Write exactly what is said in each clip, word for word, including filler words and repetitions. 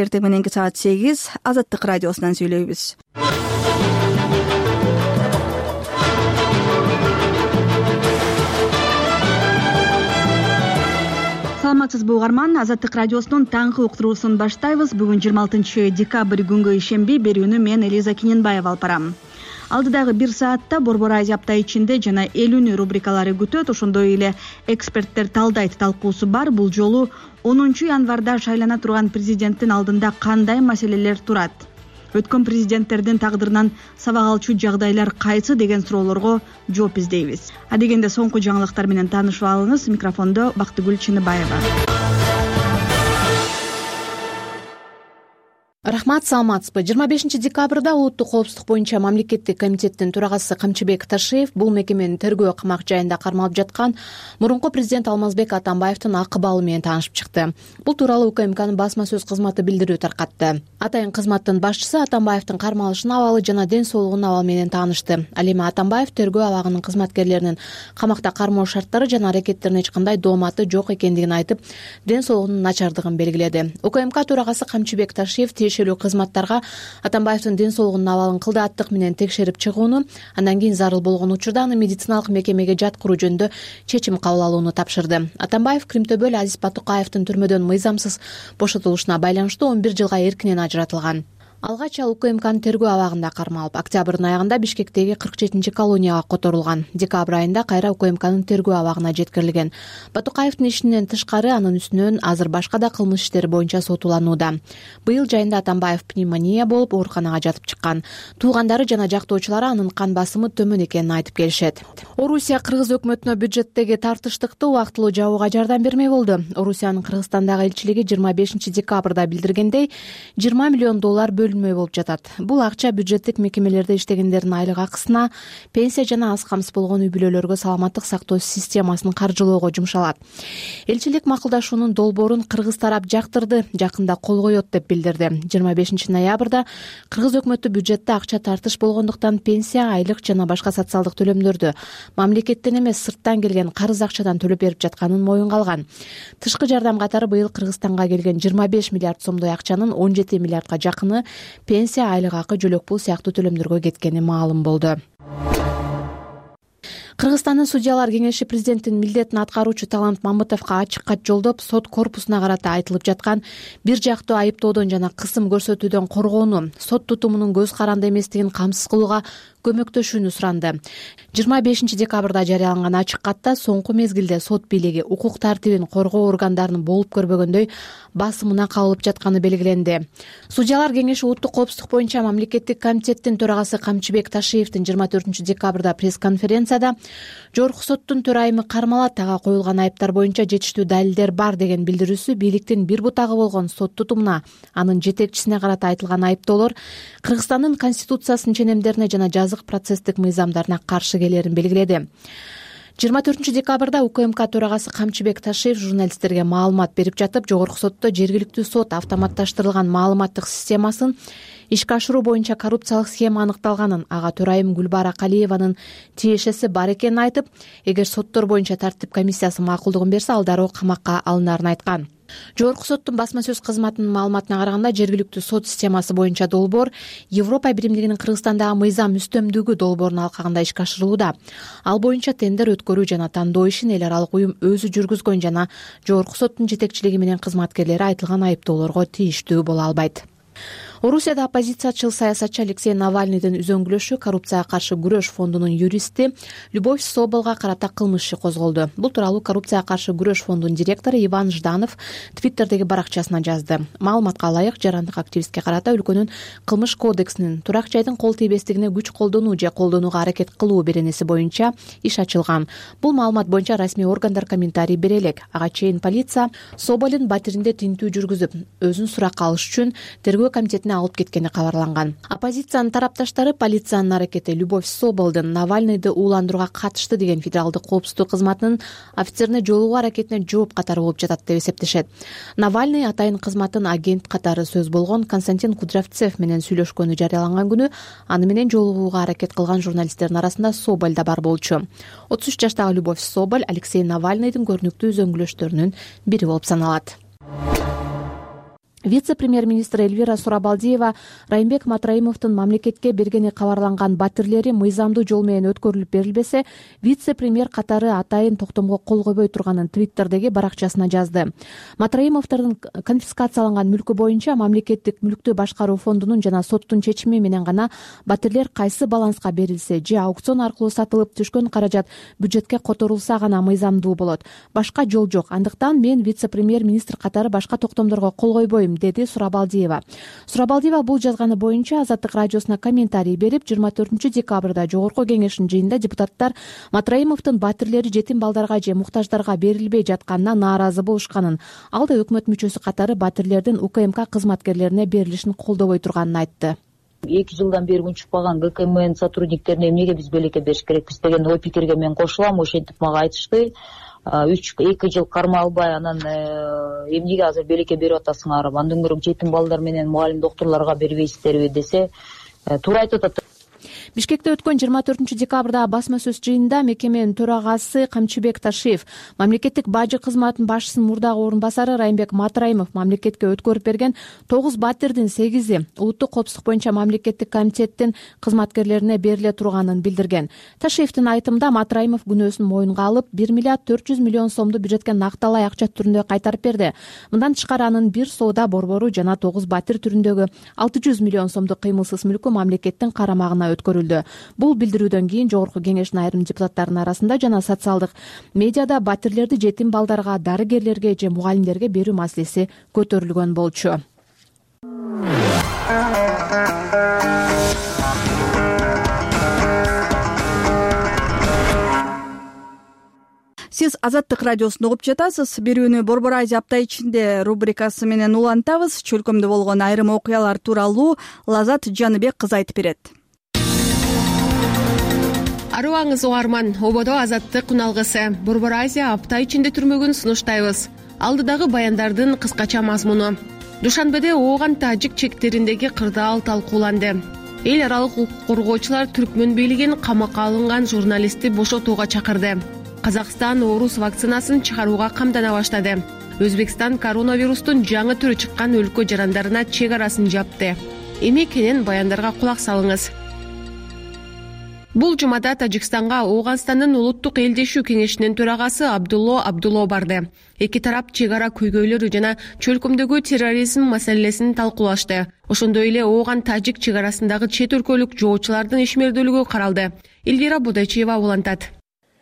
эртең мененки саат сегиз Азаттык радиосунан сүйлөйбүз. Саламатсызбы угарман, Азаттык радиосунун таңкы уктуруусун баштайбыз. Бүгүн жыйырма алтынчы декабрь күнгө ишемби берүүнү мен Элиза Кененбаева алып барам. Алдыдагы бир саатта Борбор Азия апта ичинде жана элүүнү рубрикалары күтөт. Ошондой эле эксперттер талдайт талкуусу бар. Бул жолу онунчу январда шайлана турган президенттин алдында кандай маселелер турат? Өткөн президенттердин тагдырынан сабак алчу жагдайлар кайсы деген суроолорго жооп издейбиз. Адегенде соңку жаңылыктар менен таанышып алыңыз. Микрофондо Бактыгүл Чыныбаева. Рахмат, саламатсызбы. жыйырма бешинчи декабрда улуттук коопсуздук боюнча мамлекеттик комитеттин төрагасы Камчыбек Ташиев бул мекеменин тергөө камак жайында кармалып жаткан мурунку президент Алмазбек Атамбаевдин акыбалы менен таанышып чыкты. Бул тууралуу УКМКнын басма сөз кызматы билдирүү таркатты. Атайын кызматтын башчысы Атамбаевдин кармалышынын абалы жана ден соолугунун абалы менен таанышты. Ал эми Атамбаев тергөө абагынын кызматкерлеринин камакта кармоо шарттары жана аракеттерине эч кандай дооматы жок экендигин айтып, ден соолугунун начардыгын белгиледи. УКМК төрагасы Камчыбек Ташиев тиешелүү кызматтарга Атамбаевдин ден соолугунун абалын кылдааттык менен текшерип чыгууну, андан кийин зарыл болгон учурда аны медициналык мекемеге жаткыруу жөнүндө чечим кабыл алууну тапшырды. Атамбаев Кримтөбөл Азиз Батукаевдин түрмөдөн мыйзамсыз бошотулушуна байланыштуу он бир жылга эркинен ажыратылган. Алгач ал УКМКнын тергөө абагында кармалып, октябрдын аягында Бишкектеги кырк жетинчи колонияга которулган. Декабрь айында кайра УКМКнын тергөө абагына жеткирилген. Батукаевдин ишинен тышкары анын үстүнөн азыр башка да кылмыш иштери боюнча сотуланууда. Быйыл жайында Атамбаев пневмония болуп ооруканага жатып чыккан. Туугандары жана жактоочулары анын кан басымы төмөн экенин айтып келишет. Орусия Кыргыз өкмөтүнө бюджеттеги тартыштыкты убактылуу жабууга жардам бермей болду. Орусиянын Кыргызстандагы элчилиги жыйырма бешинчи декабрда билдиргендей, жыйырма миллион доллар бөлүнмөй болуп жатат. Бул акча бюджеттик мекемелерде иштегендердин айлык акысына, пенсия жана аз камсыз болгон үй бүлөлөргө саламаттык сактоо системасын каржылоого жумшалат. Элчилик макулдашуунун долбоорун кыргыз тарап жактырды, жакында кол коет деп билдирди. жыйырма бешинчи ноябрда Кыргыз өкмөтү бюджетте акча тартыш болгондуктан пенсия, айлык жана башка социалдык төлөмдөрдү мамлекеттен эмес сырттан келген карыз акчадан төлөп берип жатканын моюнга алган. Тышкы жардам катары быйыл Кыргызстанга келген жыйырма беш миллиард сомдой акчанын он жети миллиардга жакыны пенсия, айлык акы, жөлөк пул сыяктуу төлөмдөргө кеткени маалым болду. Кыргызстандын судьялар кеңеши президенттин милдетин аткаруучу Талант Мамытовго ачык кат жолдоп, сот корпусуна карата айтылып жаткан бир жактуу айыптоодон жана кысым көрсөтүүдөн коргоону, сот тутумунун көз каранды эместигин камсыз кылууга көмөктөшүүнү суранды. жыйырма бешинчи декабрда жарыяланган ачык катта соңку мезгилде сот бийлиги укук тартибин коргоо органдарынын болуп көрбөгөндөй басымына кабылып жатканы белгиленди. Судьялар кеңеши улуттук коопсуздук боюнча мамлекеттик комитеттин төрагасы Камчыбек Ташиевдин жыйырма төртүнчү декабрда пресс-конференцияда жогорку соттун төрайымы кармалат, ага коюлган айыптар боюнча жетиштүү далилдер бар деген билдирүүсү бийликтин бир бутагы болгон сот тутумуна, анын жетекчисине карата айтылган айыптоолор Кыргызстандын конституциясынын ченемдерине жана жазык процесстик мыйзамдарына каршы келерин белгиледи. жыйырма төртүнчү декабрда УКМК төрагасы Камчыбек Ташиев журналисттерге маалымат берип жатып, жогорку сотто жергиликтүү сот автоматташтырылган маалыматтык системасын ишке ашыруу боюнча коррупциялык схема аныкталганын, ага төрайым Гүлбара Калиеванын тиешеси бар экенин айтып, эгер соттор боюнча тартип комиссиясы макулдугун берсе, ал дароо камакка алынарын айткан. Жогорку соттун басма сөз кызматынын маалыматына караганда, жергиликтүү сот системасы боюнча долбоор Европа биримдигинин Кыргызстандагы мыйзам үстөмдүгү долбоорунун алкагында ишке ашырылууда. Ал боюнча тендер өткөрүү жана тандоо ишин эл аралык уюм өзү жүргүзгөн жана жогорку соттун жетекчилиги менен кызматкерлери айтылган айыптоолорго тийиштүү боло албайт. Орусияда оппозициячыл саясатчы Алексей Навальныйдын үзөңгүлөшү коррупцияга каршы күрөш фондунун юристи Любовь Соболго карата кылмыш иши козголду. Бул тууралуу коррупцияга каршы күрөш фондунун директору Иван Жданов Твиттердеги баракчасына жазды. Маалыматка ылайык, жарандык активистке карата өлкөнүн кылмыш кодексинин турак жайдын кол тийбестигине күч колдонуу же колдонууга аракет кылуу беренеси боюнча иш ачылган. Бул маалымат боюнча расмий органдар комментарий бере элек. Ага чейин полиция Соболдун батиринде тинтүү жүргүзүп, өзүн суракка алыш үчүн тергөө комитетине алып кеткени кабарланган. Оппозициянын тарапташтары полициянын аракети Любовь Соболдун Навальныйды ууландырууга катышты деген федералдык коопсуздук кызматынын офицерине жолугуу аракетине жооп катары болуп жатат деп эсептешет. Навальный атайын кызматтын агент катары сөз болгон Константин Кудрявцев менен сүйлөшкөнү жарыяланган күнү аны менен жолугууга аракет кылган журналисттердин арасында Соболь да бар болчу. отуз үч жаштагы Любовь Соболь Алексей Навальныйдын көрүнүктүү үзөңгүлөштөрүнүн бири болуп саналат. Вице-премьер-министр Эльвира Сурабалдиева Райымбек Матраимовдун мамлекетке бергени кабарланган батирлери мыйзамдуу жол менен өткөрүлүп берилбесе, вице-премьер катары атайын токтомго кол койбой турганын Твиттердеги баракчасына жазды. Матраимовдордун конфискацияланган мүлкү боюнча мамлекеттик мүлктү башкаруу фондунун жана соттун чечими менен гана батирлер кайсы баланска берилсе же аукцион аркылуу сатылып түшкөн каражат бюджетке которулса гана мыйзамдуу болот. Башка жол жок. Андыктан мен вице-премьер-министр катары башка токтомдорго кол койбойм, деди Сурабалдиева. Сурабалдиева бул жазганы боюнча Азаттык радиосуна комментарий берип, жыйырма төртүнчү декабрда жогорку кеңештин жыйынында депутаттар Матраимовдун батирлери жетим балдарга же муктаждарга берилбей жатканына нааразы болушканын, ал да өкмөт мүчөсү катары батирлердин УКМК кызматкерлерине берилишин колдобой турганын айтты. эки жылдан бери унчукпаган ГКМнын сотрудниктерине эмнеге биз белекке бериш керекпиз деген ой пикирге мен кошулам. Ошентип мага айтышты, үч эки жыл карма албай анан эмнеге азыр белекке берип атасыңар, андан көрө жетим балдар менен мугалим доктурларга бербейсиздерби десе, туура айтып атат. Бишкекте өткөн жыйырма төртүнчү декабрда басма сөз жыйынында мекеменин төрагасы Камчыбек Ташиев, мамлекеттик бажы кызматынын башчысынын мурдагы орун басары Райымбек Матраимов мамлекетке өткөрүп берген тогуз батирдин сегизи улуттук коопсуздук боюнча мамлекеттик комитеттин кызматкерлерине бериле турганын билдирген. Ташиевдин айтымында Матраимов күнөөсүн моюнга алып, бир миллиард төрт жүз миллион сомду бюджетке накталай акча түрүндө кайтарып берди. Мындан тышкары анын бир соода борбору жана тогуз батир түрүндөгү алты жүз миллион сомдук кыймылсыз мүлкү мамлекеттин карамагына өткөрүлдү. Бул билдирүүдөн кийин жогорку кеңештин айрым депутаттарынын арасында жана социалдык медиада батирлерди жетим балдарга, дарыгерлерге же мугалимдерге берүү маселеси көтөрүлгөн болчу. Сиз Азаттык радиосун угуп жатасыз. Берүүнү Борбор Азия апта ичинде рубрикасы менен улантабыз. Чөлкөмдө болгон айрым окуялар тууралуу Лазат Жаныбек кызы айтып берет. Арыбаңыз угарман, ободо Азаттык уналгысы Борбор Азия апта ичинде түрмөгүн сунуштайбыз. Алдыдагы баяндардын кыскача мазмуну. Душанбеде ооган тажик чектериндеги кырдаал талкууланды. Эл аралык укук коргоочулар Түркмөн бийлигин камакка алынган журналистти бошотууга чакырды. Казакстан оорус вакцинасын чыгарууга камдана баштады. Өзбекстан коронавирустун жаңы түрү чыккан өлкө жарандарына чек арасын жапты. Эми кенен баяндарга кулак салыңыз. Бул жумада Тажикстанга Ооганстандын улуттук элдешүү кеңешинин төрагасы Абдулло Абдулло барды. Эки тарап чек ара көйгөйлөрү жана чөлкөмдөгү терроризм маселесин талкуулашты. Ошондой эле Ооган Тажик чек арасындагы чет өлкөлүк жоочулардын ишмердүүлүгү каралды. Элвира Будайчиева улантат.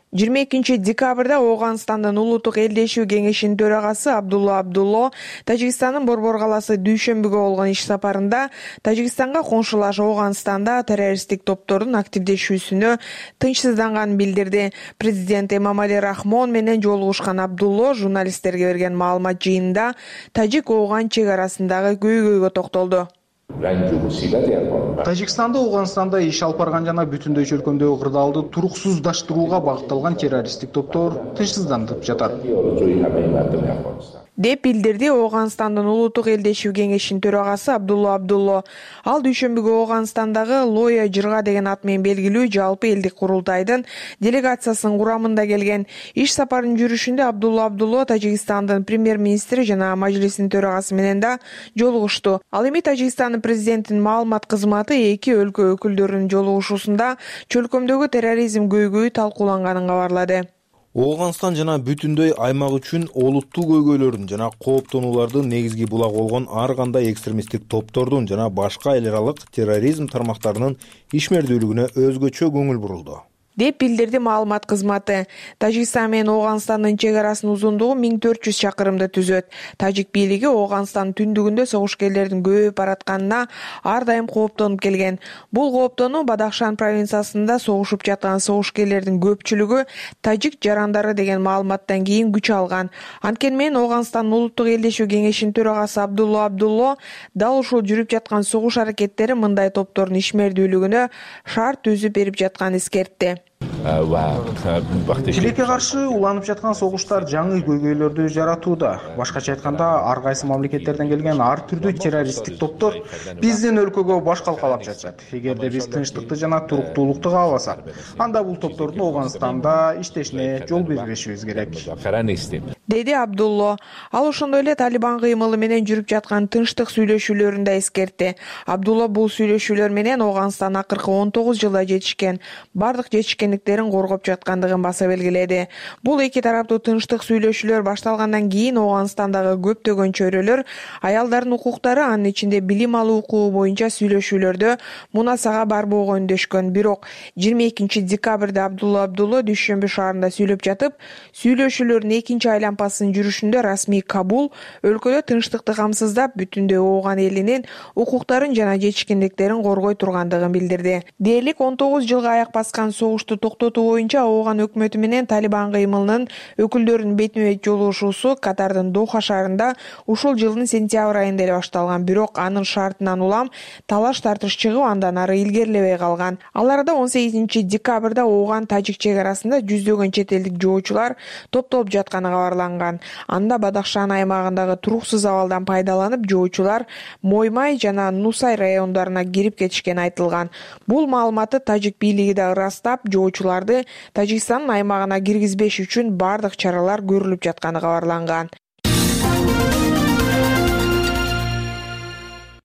жыйырма экинчи декабрда Ооганстандын улуттук элдешүү кеңешинин төрагасы Абдулло Абдулло Тажикстандын Борбор калаасы дүйшөмбүгө болгон иш сапарында Тажикстанга коңшулаш Ооганстанда террористтик топтордун активдешүүсүнө тынчсызданганын билдирди. Президент Эмомали Рахмон менен жолугушкан Абдулло журналисттерге берген маалымат жыйынында Тажик-Ооган чек арасындагы көйгөйгө токтолду. Тажикстанда Ооганстанда иш алып барган жана бүтүндөй чөлкөмдөгү кырдаалды туруксуздаштырууга багытталган террористтик топтор тынчсыздандырып жатат деп билдирди Ооганстандын улуттук элдешүү кеңешинин төрагасы Абдулло Абдулло. Ал дүйшөмбүгө Ооганстандагы Лоя Жырга деген ат менен белгилүү жалпы элдик курултайдын делегациясынын курамында келген. Иш сапарынын жүрүшүндө Абдулло Абдулло Тажикстандын премьер-министри жана мажлисинин төрагасы менен да жолугушту. Ал эми Тажикстандын президентинин маалымат кызматы эки өлкө өкүлдөрүнүн жолугушуусунда чөлкөмдөгү терроризм көйгөйү талкууланганын кабарлады. Ооганстан жана бүтүндөй аймак үчүн олуттуу көйгөйлөрдүн жана кооптонуулардын негизги булагы болгон ар кандай экстремисттик топтордун жана башка эл аралык терроризм тармактарынын ишмердүүлүгүнө өзгөчө көңүл бурулду деп билдирди маалымат кызматы. Тажикстан менен Ооганстандын чек арасынын узундугу миң төрт жүз чакырымды түзөт. Тажик бийлиги Ооганстандын түндүгүндө согушкерлердин көбөйүп баратканына ар дайым кооптонуп келген. Бул кооптонуу Бадахшан провинциясында согушуп жаткан согушкерлердин көпчүлүгү тажик жарандары деген маалыматтан кийин күч алган. Анткени менен Ооганстандын улуттук элдешүү кеңешинин төрагасы Абдулло Абдулло дал ушул жүрүп жаткан согуш аракеттери мындай топтордун ишмердүүлүгүнө шарт түзүп берип жатканын эскертти. Тилекке каршы уланып жаткан согуштар жаңы көйгөйлөрдү жаратууда. Башкача айтканда, ар кайсы мамлекеттерден келген ар түрдүү террористтик топтор биздин өлкөгө баш калкалап жатышат. Эгерде биз тынчтыкты жана туруктуулукту кааласак, анда бул топтордун Ооганстанда иштешине жол бербешибиз керек. деди Абдулло. Ал ошондой эле Талибан кыймылы менен жүрүп жаткан тынчтык сүйлөшүүлөрүн да эскертти. Абдулло бул сүйлөшүүлөр менен Ооганстан акыркы он тогуз жылда жетишкен бардык жетишкендиктерин коргоп жаткандыгын баса белгиледи. Бул эки тараптуу тынчтык сүйлөшүүлөр башталгандан кийин Ооганстандагы көптөгөн чөйрөлөр аялдардын укуктары, анын ичинде билим алуу укугу боюнча сүйлөшүүлөрдө мунасага барбоого үндөшкөн. Бирок жыйырма экинчи декабрда Абдулла Абдулло Дүйшөмбү шаарында сүйлөп жатып, сүйлөшүүлөрдүн экинчи айланпасынын жүрүшүндө расмий Кабул өлкөдө тынчтыкты камсыздап, бүтүндөй Ооган элинин укуктарын жана жетишкендиктерин коргой тургандыгын билдирди. Дээрлик он тогуз жылга аяк баскан согушту токтотуу боюнча Ооган өкмөтү менен Талибан кыймылынын өкүлдөрүнүн бетме-бет жолугушуусу Катардын Доха шаарында ушул жылдын сентябрь айында эле башталган. Бирок анын шартынан улам талаш тартыш чыгып, андан ары илгерилебей калган. Ал арада он сегизинчи декабрда Ооган тажик чек арасында жүздөгөн чет элдик жоочулар топтолуп жатканы кабарланган. Анда Бадахшан аймагындагы туруксуз абалдан пайдаланып, жоочулар Моймай жана Нусай райондоруна кирип кетишкени айтылган. Бул маалыматты тажик бийлиги да ырастап, жоочуларды Тажикстандын аймагына киргизбеш үчүн бардык чаралар көрүлүп жатканы кабарланган.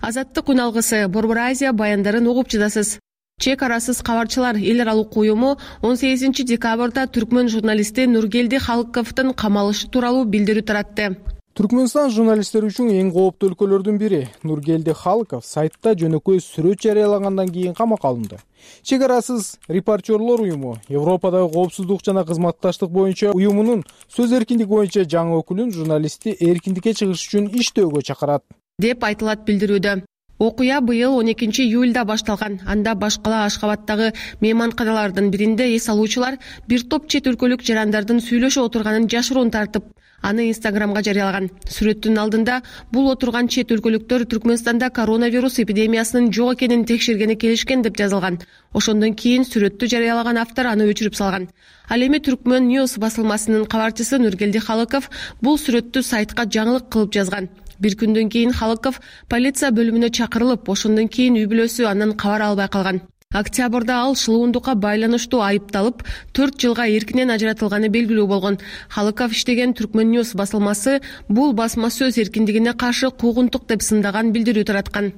Азаттык үн алгысы, Борбор Азия баяндарын угуп жатасыз. Чек арасыз кабарчылар эл аралык уюму он сегизинчи декабрда түркмөн журналисти Нургелди Халыковдун камалышы тууралуу билдирүү таратты. Түркмөнстан журналисттер үчүн эң кооптуу өлкөлөрдүн бири. Нургелди Халыков сайтта жөнөкөй сүрөт жарыялагандан кийин камакка алынды. Чек арасыз репортерлор уюму Европадагы коопсуздук жана кызматташтык боюнча уюмунун сөз эркиндиги боюнча жаңы өкүлүн журналистти эркиндикке чыгыш үчүн иштөөгө чакырат, деп айтылат билдирүүдө. Окуя быйыл он экинчи июлда башталган. Анда башкала Ашкабаттагы мейманканалардын биринде эс алуучулар бир топ чет өлкөлүк жарандардын сүйлөшүп отурганын жашыруун тартып, аны Инстаграмга жарыялаган. Сүрөттүн алдында бул отурган чет өлкөлүктөр Түркмөнстанда коронавирус эпидемиясынын жок экенин текшергени келишкен деп жазылган. Ошондон кийин сүрөттү жарыялаган автор аны өчүрүп салган. Ал эми Түркмөн News басылмасынын кабарчысы Нургелди Халыков бул сүрөттү сайтка жаңылык кылып жазган. Бир күндөн кийин Халыков полиция бөлүмүнө чакырылып, ошондон кийин үй бүлөсү андан кабар албай калган. Октябрда ал шылуундукка байланыштуу айыпталып, төрт жылга эркинен ажыратылганы белгилүү болгон. Халыков иштеген Түркмөн News басылмасы бул басма сөз эркиндигине каршы куугунтук деп сындаган билдирүү тараткан.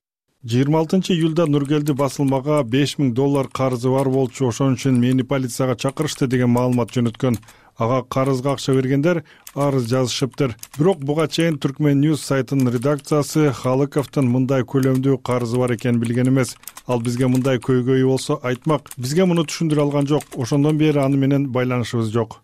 жыйырма алтынчы июлда Нургелди басылмага беш миң доллар карызы бар болчу, ошон үчүн мени полицияга чакырышты деген маалымат жөнөткөн. Ага карызга акча бергендер арыз жазышыптыр. Бирок буга чейин Түркмөн News сайтынын редакциясы Халыковдун мындай көлөмдүү карызы бар экенин билген эмес. Ал бизге мындай көйгөйү болсо айтмак. Бизге муну түшүндүрө алган жок. Ошондон бери аны менен байланышыбыз жок.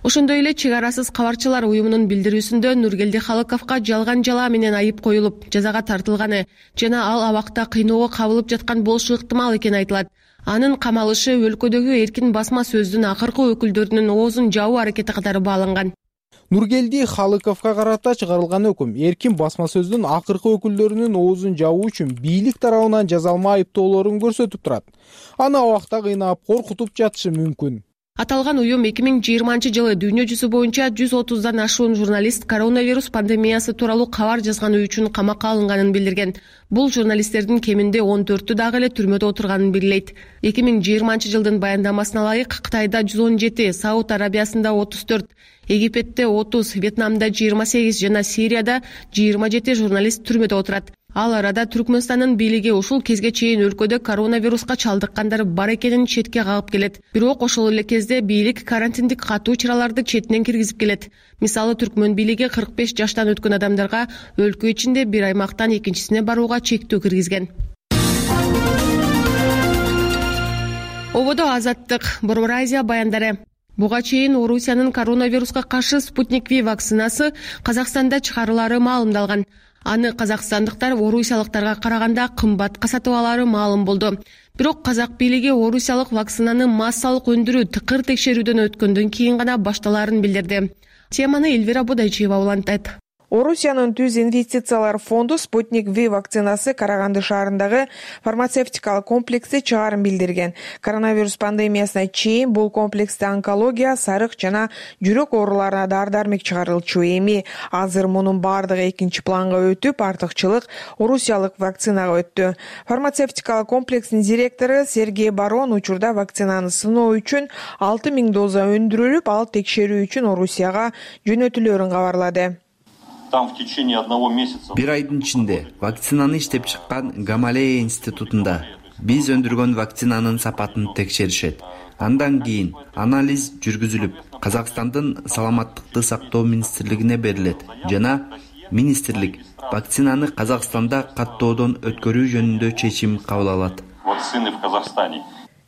Ошондой эле чек арасыз кабарчылар уюмунун билдирүүсүндө Нургелди Халыковго жалган жалаа менен айып коюлуп, жазага тартылганы жана ал абакта кыйноого кабылып жаткан болушу ыктымал экени айтылат. Анын камалышы өлкөдөгү эркин басма сөздүн акыркы өкүлдөрүнүн оозун жабуу аракети катары бааланган. Нургелди Халыковго карата чыгарылган өкүм эркин басма сөздүн акыркы өкүлдөрүнүн оозун жабуу үчүн бийлик тарабынан жазалма айыптоолорун көрсөтүп турат. Аны абакта кыйнап, коркутуп жатышы мүмкүн. Аталган уюм эки миң жыйырманчы жылы дүйнө жүзү боюнча жүз отуздан ашуун журналист коронавирус пандемиясы тууралуу кабар жазганы үчүн камакка алынганын билдирген. Бул журналисттердин кеминде он төртү дагы эле түрмөдө отурганын белгилейт. эки миң жыйырманчы жылдын баяндамасына ылайык Кытайда жүз он жети, Сауд Арабиясында отуз төрт, Египетте отуз, Вьетнамда жыйырма сегиз жана Сирияда жыйырма жети журналист түрмөдө отурат. Ал арада Түркмөнстандын бийлиги ушул кезге чейин өлкөдө коронавируска чалдыккандар бар экенин четке кагып келет. Бирок ошол эле кезде бийлик карантиндик катуу чараларды четинен киргизип келет. Мисалы, Түркмөн бийлиги кырк беш жаштан өткөн адамдарга өлкө ичинде бир аймактан экинчисине барууга чектөө киргизген. Ободо Азаттык, Борбор Азия баяндары. Буга чейин Орусиянын коронавируска каршы Спутник V вакцинасы Казакстанда чыгарылары маалымдалган. Аны казакстандыктар орусиялыктарга караганда кымбатка сатып алары маалым болду. Бирок казак бийлиги орусиялык вакцинаны массалык өндүрүү тыкыр текшерүүдөн өткөндөн кийин гана башталарын билдирди. Теманы Эльвира Бодайчиева улантат. Орусиянын Түз инвестициялар фонду Спутник V вакцинасы Караганды шаарындагы фармацевтикалык комплексте чыгарын билдирген. Коронавирус пандемиясына чейин бул комплексте онкология, сарык жана жүрөк ооруларына дары-дармек чыгарылчу. Эми азыр мунун бардыгы экинчи планга өтүп, артыкчылык орусиялык вакцинага өттү. Фармацевтикалык комплекстин директору Сергей Барон учурда вакцинаны сыноо үчүн алты миң доза өндүрүлүп, ал текшерүү үчүн Орусияга жөнөтүлөөрүн кабарлады. Там в течение одного месяца. Бир айдын ичинде вакцинаны иштеп чыккан Гамалея институтунда биз өндүргөн вакцинанын сапатын текшеришет. Андан кийин анализ жүргүзүлүп, Казакстандын саламаттыкты сактоо министрлигине берилет жана министрлик вакцинаны Казакстанда каттоодон өткөрүү жөнүндө чечим кабыл алат. Вакцины в Казахстане.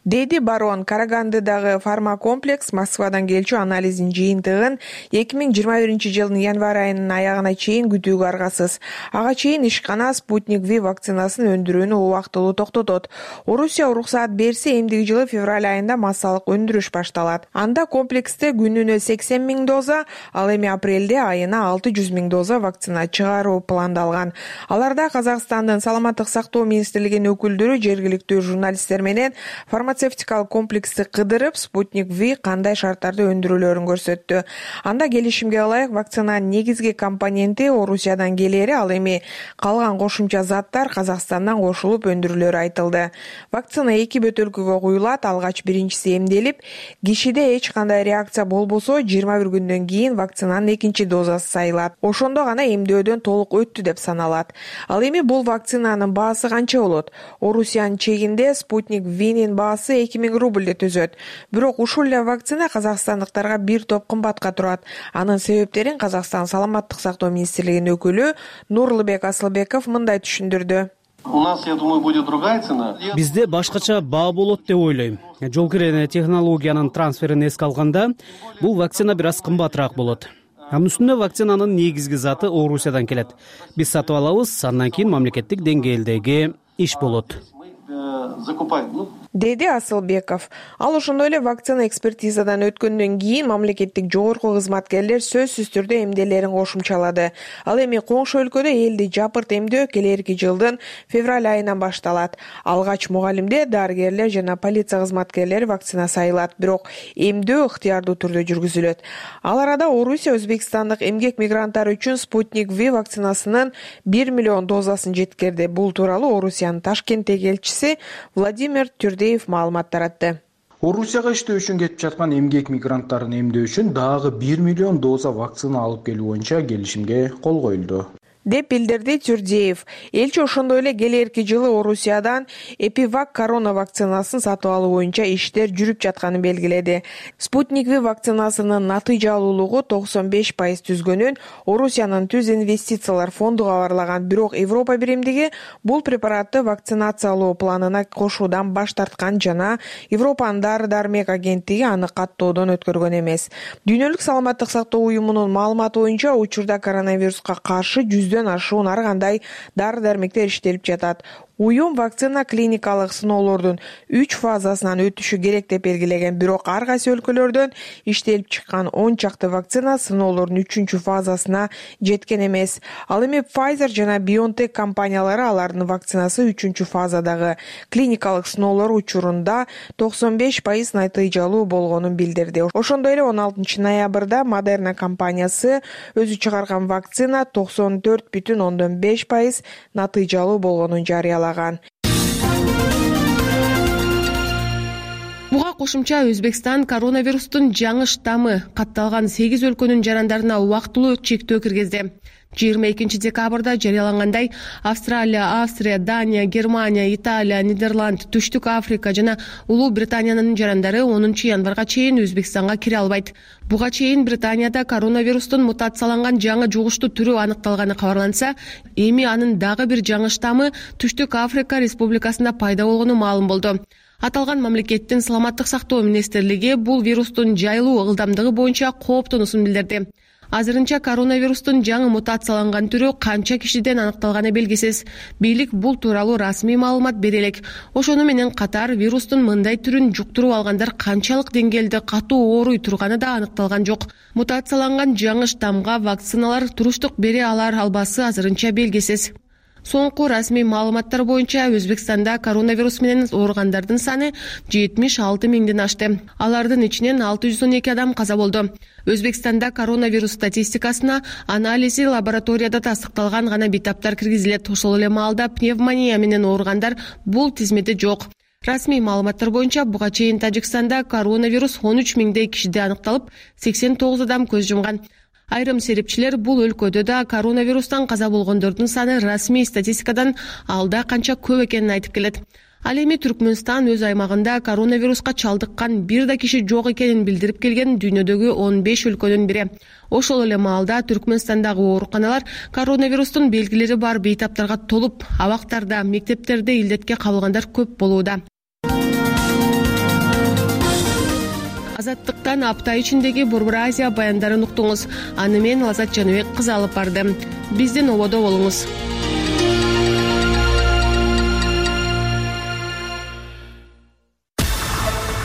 Деди Барон, Карагандыдагы фармакомплекс Москвадан келчү анализдин жыйынтыгын эки миң жыйырма биринчи жылдын январь айынын аягына чейин күтүүгө аргасыз. Ага чейин ишкана Спутник V вакцинасын өндүрүүнү убактылуу токтотот. Орусия уруксаат берсе, эмдиги жылы февраль айында массалык өндүрүш башталат. Анда комплексте күнүнө сексен миң доза, ал эми апрелде айына алты жүз миң доза вакцина чыгаруу пландалган. Аларда Казакстандын саламаттык сактоо министрлигинин өкүлдөрү жергиликтүү журналисттер менен фармацевтикалык комплексти кыдырып, Спутник V кандай шарттарда өндүрүлөөрүн көрсөттү. Анда келишимге ылайык вакцинанын негизги компоненти Орусиядан келери, ал эми калган кошумча заттар Казакстандан кошулуп өндүрүлөөрү айтылды. Вакцина эки бөтөлкөгө куюлат, алгач биринчиси эмделип, кишиде эч кандай реакция болбосо, жыйырма бир күндөн кийин вакцинанын экинчи дозасы сайылат. Ошондо гана эмдөөдөн толук өттү деп саналат. Ал эми бул вакцинанын баасы канча болот? Орусиянын чегинде Спутник V'нин баасы эки миң рубль түзөт. Бирок ушул эле вакцина казакстандыктарга бир топ кымбатка турат. Анын себептерин Казакстан саламаттык сактоо министрлигинин өкүлү Нурлыбек Асылбеков мындай түшүндүрдү. У нас, я думаю, будет другая цена. Бизде башкача баа болот деп ойлойм. Жол кирен технологиянын трансферин эске алганда, бул вакцина бир аз кымбатыраак болот. Анын үстүнө вакцинанын негизги заты Орусиядан келет. Биз сатып алабыз, андан кийин мамлекеттик деңгээлдеги иш болот. Деди Асылбеков. Ал ошондой эле вакцина экспертизадан өткөндөн кийин мамлекеттик жогорку кызматкерлер сөзсүз түрдө эмделерин кошумчалады. Ал эми коңшу өлкөдө элди жапырт эмдөө келерки жылдын февраль айынан башталат. Алгач мугалимдер, дарыгерлер жана полиция кызматкерлери вакцина сайылат, бирок эмдөө ыктыярдуу түрдө жүргүзүлөт. Ал арада Орусия өзбекстандык эмгек мигранттары үчүн Спутник V вакцинасынын бир миллион дозасын жеткирди. Бул тууралуу Орусиянын Ташкенттеги элчиси Владимир Түрдеев маалымат таратты. Орусияга иштөө үчүн кетип жаткан эмгек мигранттарын эмдөө үчүн дагы бир миллион доза вакцина алып келүү боюнча келишимге кол коюлду деп билдирди Түрдеев. Элчи ошондой эле келерки жылы Орусиядан Эпивак корона вакцинасын сатып алуу боюнча иштер жүрүп жатканын белгиледи. Спутник V вакцинасынын натыйжалуулугу токсон беш пайыз түзгөнүн Орусиянын Түз инвестициялар фонду кабарлаган, бирок Европа биримдиги бул препаратты вакцинациялоо планына кошуудан баш тарткан жана Европанын дары-дармек агенттиги аны каттоодон өткөргөн эмес. Дүйнөлүк саламаттык сактоо уюмунун маалыматы боюнча учурда коронавируска каршы жүздөн ашуун ар кандай дары-дармектер иштелип жатат. Уюм вакцина клиникалык сыноолордун үч фазасынан өтүшү керек деп белгилеген, бирок ар кайсы өлкөлөрдөн иштелип чыккан он чакты вакцина сыноолордун үчүнчү фазасына жеткен эмес. Ал эми Pfizer жана BioNTech компаниялары алардын вакцинасы үчүнчү фазадагы клиникалык сыноолор учурунда токсон беш пайыз натыйжалуу болгонун билдирди. Ошондой эле он алтынчы ноябрда Moderna компаниясы өзү чыгарган вакцина токсон төрт бүтүн ондон беш пайыз натыйжалуу болгонун жарыялаган. Буга кошумча Өзбекстан коронавирустун жаңы штаммы катталган сегиз өлкөнүн жарандарына убактылуу чектөө киргизди. жыйырма экинчи декабрда жарыялангандай, Австралия, Австрия, Дания, Германия, Италия, Нидерланд, Түштүк Африка жана Улуу Британиянын жарандары онунчу январга чейин Өзбекстанга кире албайт. Буга чейин Британияда коронавирустун мутацияланган жаңы жугуштуу түрү аныкталганы кабарланса, эми анын дагы бир жаңы штаммы Түштүк Африка Республикасында пайда болгону маалым болду. Аталган мамлекеттин саламаттык сактоо министрлиги бул вирустун жайылуу ылдамдыгы боюнча кооптонуусун билдирди. Азырынча коронавирустун жаңы мутацияланган түрү канча кишиден аныкталганы белгисиз. Бийлик бул тууралуу расмий маалымат бере элек. Ошону менен катар вирустун мындай түрүн жуктуруп алгандар канчалык деңгээлде катуу ооруй турганы да аныкталган жок. Мутацияланган жаңы штаммга вакциналар туруштук бере алар албасы азырынча белгисиз. Соңку расмий маалыматтар боюнча Өзбекстанда коронавирус менен ооругандардын саны жетимиш алты миңден ашты. Алардын ичинен алты жүз он эки адам каза болду. Өзбекстанда коронавирус статистикасына анализи лабораторияда тастыкталган гана бейтаптар киргизилет. Ошол эле маалда пневмония менен ооругандар бул тизмеде жок. Расмий маалыматтар боюнча буга чейин Тажикстанда коронавирус он үч миңдей кишиде аныкталып, сексен тогуз адам көз жумган. Айрым серепчилер бул өлкөдө да коронавирустан каза болгондордун саны расмий статистикадан алда канча көп экенин айтып келет. Ал эми Түркмөнстан өз аймагында коронавируска чалдыккан бир да киши жок экенин билдирип келген дүйнөдөгү он беш өлкөнүн бири. Ошол эле маалда Түркмөнстандагы ооруканалар коронавирустун белгилери бар бейтаптарга толуп, абактарда, мектептерде илдетке кабылгандар көп болууда. Азаттыктан апта ичиндеги Борбор Азия баяндарын уктуңуз. Аны мен Лазат Жаныбек кызы алып барды. Биздин ободо болуңуз.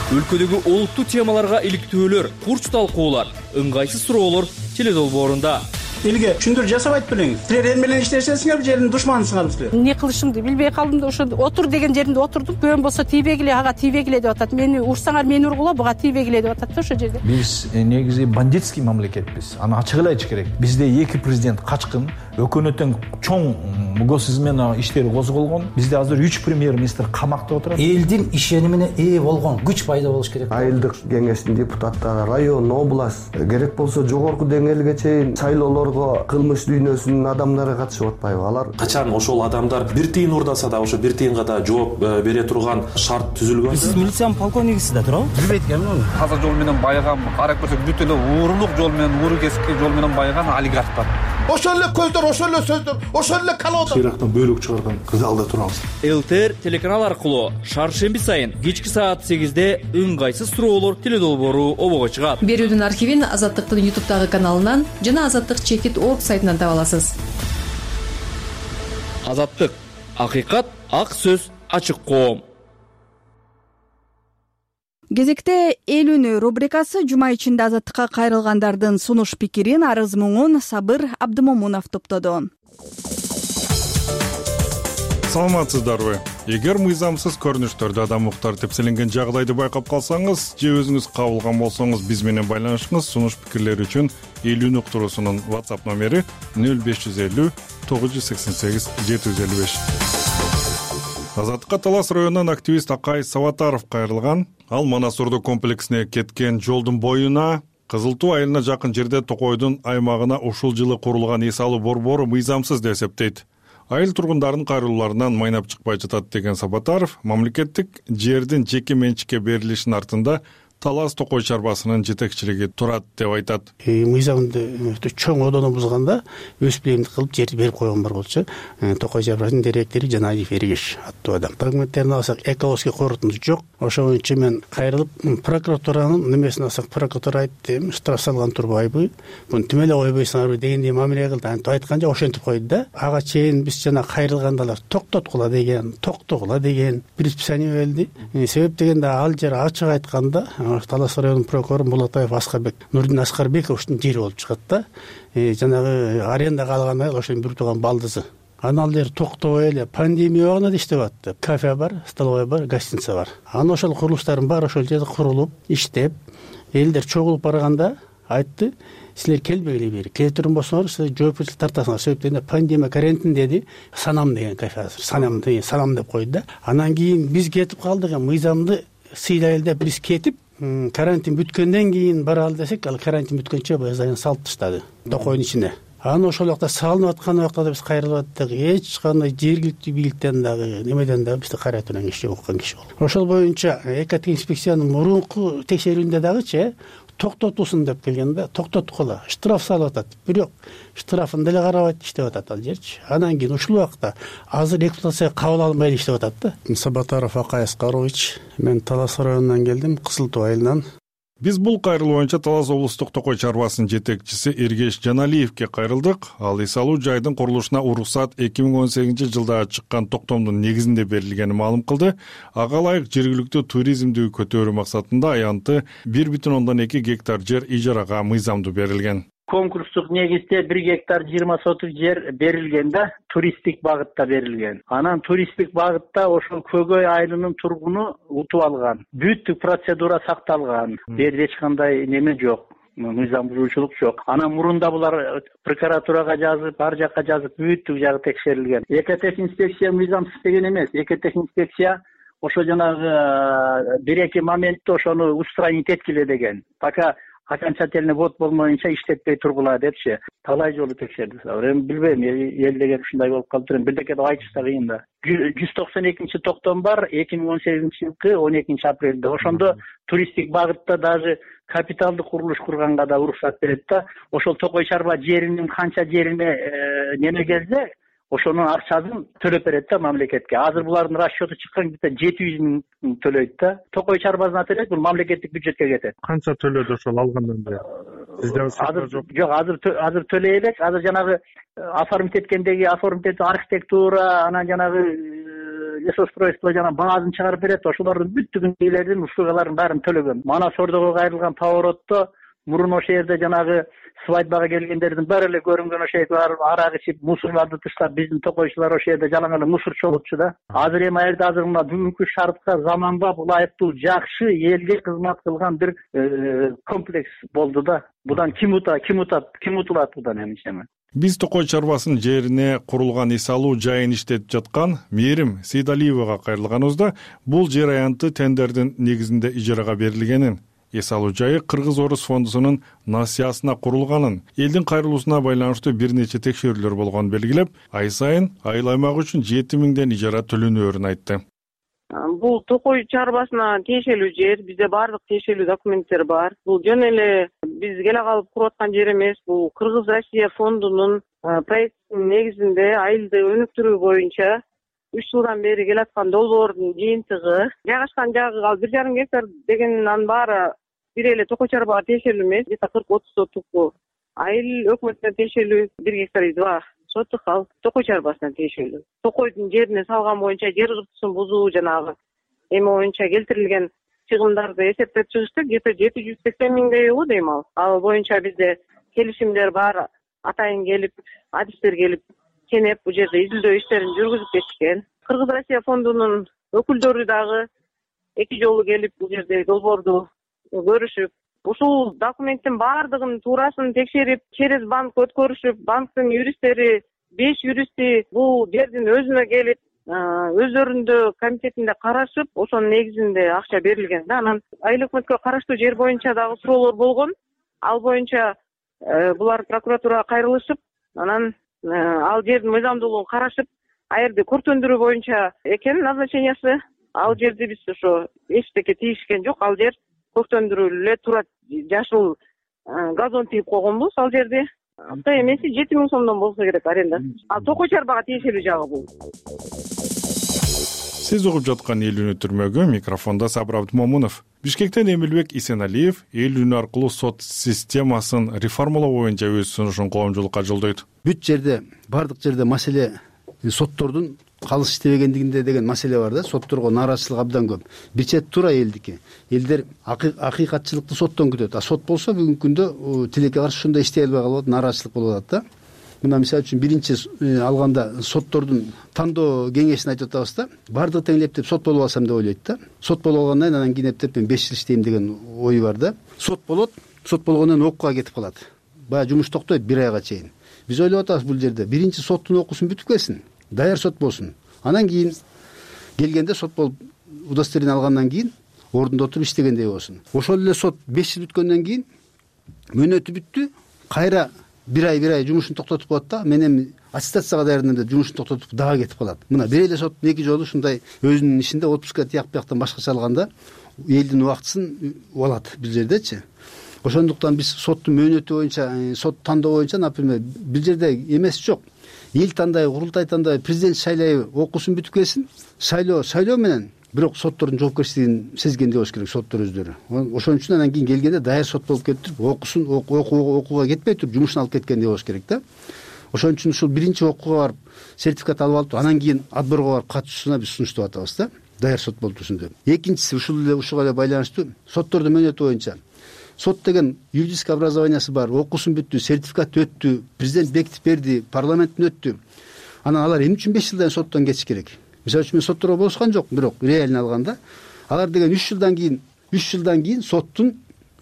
Өлкөдөгү олуттуу темаларга иликтөөлөр, курч талкуулар, ыңгайсыз суроолор теледолбоорунда. Элге түшүндүр жасабайт белеңиз. Силер эл менен иштешесиңер, жердин душманысыңар силер. Эмне кылышымды билбей калдым да ошо отур деген жеринде отурдум. Бөөн болсо тийбегиле, ага тийбегиле деп атат. Мени урсаңар мени ургула, буга тийбегиле деп атат да ошо жерде. Биз негизи бандитский мамлекетпиз. Аны ачык эле айтыш керек. Бизде эки президент качкын, өкмөттүн чоң мугосизм менен иштери козголгон. Бизде азыр үч премьер-министр камакта отурат. Элдин ишенимине ээ болгон күч пайда болуш керек. Айылдык кеңештин депутаттары, район, область, керек болсо жогорку деңгээлге чейин шайлоолор кылмыш дүйнөсүнүн адамдары катышып атпайбы? Алар качан ошол адамдар бир тыйын урдаса да ошо бир тыйынга да жооп бере турган шарт түзүлгөн. Сиз милициянын полковнигисиз да туурабы? Билбейт экенмин. Таза жол менен байыган, карап көрсөк бүт эле уурулук жол менен, ууру кесипки жол менен байыган олигархтар. Ошол эле көздөр, ошол эле сөздөр, ошол эле колода. Ирактан бөлүк чыгарган залда турабыз. ЛТР телеканал аркылуу шаршемби сайын кечки саат сегизде ыңгайсыз суроолор теледолбоору обого чыгат. Берүүдүн архивин Азаттыктын ютубтагы каналынан жана Азаттык чекит точка орг сайтынан таба аласыз. Азаттык, акыйкат, ак сөз, ачык коом. Кезекте эл үнү рубрикасы жума ичинде Азаттыкка кайрылгандардын сунуш пикирин, арыз муңун Сабыр Абдымомунов топтоду. Саламатсыздарбы? Эгер мыйзамсыз көрүнүштөрдө адам укуктары тепселенген жагдайды байкап калсаңыз же өзүңүз кабылган болсоңуз биз менен байланышыңыз. Сунуш пикирлер үчүн эл үнү уктуруусунун WhatsApp номери нөл беш жүз элүү тогуз жүз сексен сегиз жети жүз элүү беш. Азаттыкка Талас районунан активист Акай Сабатаров кайрылган. Ал Манас Ордо комплексине кеткен жолдун боюна Кызыл Туу айылына жакын жерде Токойдун аймагына ушул жылы курулган эс алуу борбору мыйзамсыз деп эсептейт. Айыл тургундарынын кайрылууларынан майнап чыкпай жатат деген Сабатаров мамлекеттик жердин жеке менчикке берилишинин артында Талас Токой чарбасынын жетекчилиги турат деп айтат. Мыйзамды чоң одону бузганда өз билимдик кылып жерди берип койгон бар болчу. Токой чарбасынын директори Жанаев Эргеш аттуу адам. Документтерин алсак экологический корутунду жок. Ошол боюнча мен кайрылып прокуратуранын немесин алсак, прокуратура айтты, штраф салган турбайбы, муну тим эле койбойсуңарбы дегендей мамиле кылды. Антип айтканча ошентип койду да. Ага чейин биз жана кайрылгандалар токтоткула деген, токтогула деген предписание берилди. Себеп дегенде ал жер ачык айтканда Талас районунун прокурору Мулатаев Аскарбек, Нурдин Аскарбековичтин жери болуп чыгат да. Жанагы арендага алган айыл ошонун бир тууган балдызы. Анан ал жер токтобой эле пандемия убагында иштеп атты. Кафе бар, столовая бар, гостиница бар. Анан ошол курулуштардын баары ошол жерде курулуп, иштеп, элдер чогулуп барганда айтты, силер келбегиле бери. Келтирим болсоңор, силер жоопкерчилик тартасыңар. Себеп дегенде пандемия карантин деди. Санам деген кафе азыр. Санам деген санам деп койду да. Анан кийин биз кетип калдык, мыйзамды сыйлайлы деп биз кетип, карантин бүткөндөн кийин баралы десек, ал карантин бүткөнчө баягы салып таштады Токойдун ичине. Анан ошол жакта салынып аткан убакта биз кайрылып аттык. Эч кандай жергиликтүү бийликтен дагы, немеден дагы бизди кайрайтуудан киши жок, уккан киши жок. Ошол боюнча экология инспекциянын мурунку текшерүүндө дагычы токтотусун деп келгенде токтоткула, штраф салып атат. Бирок штрафын деле карабайт, иштеп атат ал жерчи. Анан кийин ушул убакта азыр эксплуатацияга кабыл алынбай иштеп атат да. Сабатаров Акай Аскарович, мен Талас районунан келдим, Кызыл Туу айылынан. Биз бул кайрылуу боюнча Талас облустук токой чарбасынын жетекчиси Эргеш Жаналиевке кайрылдык. Ал эс алуу жайдын курулушуна уруксат эки миң он сегизинчи жылда чыккан токтомдун негизинде берилгенин маалым кылды. Ага ылайык жергиликтүү туризмди көтөрүү максатында аянты бир бүтүн ондон эки гектар жер ижарага мыйзамдуу берилген. Конкурстук негизде бир гектар жыйырма сотук жер берилген да, туристтик багытта берилген. Анан туристтик багытта ошол Көгөй айылынын тургуну утуп алган. Бүттүк процедура сакталган. Бул жерде эч кандай неме жок. Мыйзам бузуучулук жок. Анан мурунда булар прокуратурага жазып, ар жакка жазып, бүттүк жагы текшерилген. Экотех инспекция мыйзамсыз деген эмес. Экотех инспекция ошо жанагы бир эки моментте ошону устранить эткиле деген. Пока окончательный ввод болмоюнча иштетпей тургула депчи. Талай жолу текшердик. Эми билбейм, эл деген ушундай болуп калыптыр. Бирдеке деп айтыш да кыйын да. жүз токсон экинчи токтом бар, эки миң он сегизинчи жылкы он экинчи апрелде. Ошондо туристтик багытта даже капиталдык курулуш курганга да уруксат берет да. Ошол Токой чарба жеринин канча жерине неме келсе, ошонун акчасын төлөп берет да мамлекетке. Азыр булардын расчету чыккан бите жети жүз миң төлөйт да. Токой чарбасына төлөйт, бул мамлекеттик бюджетке кетет. Канча төлөдү ошол алгандан бери? Сизде азыр жок. Жок, азыр азыр төлөй элек. Азыр жанагы оформить эткендеги оформить архитектура, анан жанагы лесостройство жана баазын чыгарып берет. Ошолордун бүттүгүн үйлөрдүн услугаларын баарын төлөгөн. Мана Сордого кайрылган поворотто мурун ошол жерде жанагы свадьбага келгендердин баары эле көрүнгөн ошол жерде арак ичип, мусорларды таштап, биздин токойчулар ошол жерде жалаң эле мусор чогултчу да. Азыр эми аерде азыр мына бүгүнкү шартка заманбап, ылайыктуу, жакшы, элге кызмат кылган бир комплекс болду да. Будан ким утат, ким утат, ким утулат будан эмне? Биз Токой чарбасынын жерине курулган эс алуу жайын иштетип жаткан Мээрим Сейдалиевага кайрылганыбызда бул жер аянты тендердин негизинде ижарага берилгенин, эс алуу жайы Кыргыз-Орус фондусунун насыясына курулганын, элдин кайрылуусуна байланыштуу бир нече текшерүүлөр болгонун белгилеп, ай сайын айыл аймак үчүн жети миңден ижара төлөнөөрүн айтты. Бул Токой чарбасына тиешелүү жер, бизде баардык тиешелүү документтер бар. Бул жөн эле биз келе калып куруп аткан жер эмес. Бул Кыргыз-Россия фондунун проектинин негизинде айылды өнүктүрүү боюнча үч жылдан бери келаткан долбоордун жыйынтыгы. Жайгашкан жагы ал бир жарым гектар дегенин анын баары бир эле Токой чарбага тиешелүү эмес. где-то кырк отуз сотук айыл өкмөтүнө тиешелүү бир гектар два сотук ал Токой чарбасына тиешелүү. Токойдун жерине салган боюнча жер кыртысын бузуу жанагы эми боюнча келтирилген чыгымдарды эсептеп чыгыштык. где-то жети жүз сексен миңдей болот дейм ал. Ал боюнча бизде келишимдер бар, атайын келип, адистер келип, кенеп бул жерде изилдөө иштерин жүргүзүп кетишкен. Кыргыз-Россия фондунун өкүлдөрү дагы эки жолу келип бул жерде долбоорду көрүшүп, ушул документтин баардыгын туурасын текшерип, через банк өткөрүшүп, банктын юристтери, беш юристи бул жердин өзүнө келип, өздөрүндө комитетинде карашып, ошонун негизинде акча берилген да. Анан айыл өкмөткө караштуу жер боюнча дагы суроолор болгон. Ал боюнча булар прокуратурага кайрылышып, анан ал жердин мыйзамдуулугун карашып, аерди көртөндүрүү боюнча экен назначениясы. Ал жерди биз ошо эчтеке тийишкен жок. Ал жер көртөндүрүлүп эле турат, жашыл газон тийип койгонбуз ал жерде. Ата эмеси жети миң сомдон болсо керек аренда. Ал Токой чарбага тиешелүү жагы бул. Сиз угуп жаткан эл үнү түрмөгү, микрофондо Сабыр Абдымомунов. Бишкектен Эмилбек Исеналиев эл үнү аркылуу сот системасын реформалоо боюнча өз сунушун коомчулукка жолдойт. Бүт жерде, бардык жерде маселе соттордун калыс иштебегендигинде деген маселе бар да. Сотторго нааразычылык абдан көп. Бир чет туура элдики. Элдер акыйкатчылыкты соттон күтөт. А сот болсо бүгүнкү күндө тилекке каршы ушундай иштей албай калып, нааразычылык болуп атат да. Мына мисалы үчүн биринчи алганда соттордун тандоо кеңешин айтып атабыз да. Бардыгы тең эптеп сот болуп алсам деп ойлойт да. Сот болуп алгандан анан кийин эптеп мен беш жыл иштейм деген ой бар да. Сот болот, сот болгондон окууга кетип калат. Баягы жумуш токтойт бир айга чейин. Биз ойлоп атабыз бул жерде биринчи соттун окуусун бүтүп келсин, даяр сот болсун. Анан кийин келгенде сот болуп удостоверение алгандан кийин ордунда отуруп иштегендей болсун. Ошол эле сот беш жыл бүткөндөн кийин мөөнөтү бүттү, кайра бир ай бир ай жумушун токтотуп коет да. Мен эми аттестацияга даярдым деп жумушун токтотуп дагы кетип калат. Мына бир эле сот эки жолу ушундай өзүнүн ишинде отпускка тияк бияктан башкача алганда элдин убактысын алат бул жердечи. Ошондуктан биз соттун мөөнөтү боюнча, сот тандоо боюнча, например, бир жерде эмес жок. Эл тандайбы, курултай тандайбы, президент шайлайбы, окуусун бүтүп келсин. Шайлоо, шайлоо менен бирок соттордун жоопкерчилигин сезгенде болуш керек соттор өздөрү. Ошон үчүн анан кийин келгенде даяр сот болуп кетип туруп окуусун окууга кетпей туруп жумушун алып кеткенде болуш керек да. Ошон үчүн ушул биринчи окууга барып сертификат алып алып анан кийин отборго барып катышуусуна биз сунуштап атабыз да. Даяр сот болуп турсун деп. Экинчиси ушул эле ушуга эле байланыштуу соттордун мөөнөтү боюнча сот деген юридический образованиясы бар, окуусун бүттү, сертификат өттү, президент бекитип берди, парламенттен өттү. Анан алар эмне үчүн беш жылдан соттон кетиш керек? Мисалы үчүн мен сотторго болушкан жок, бирок реально алганда алар деген үч жылдан кийин үч жылдан кийин соттун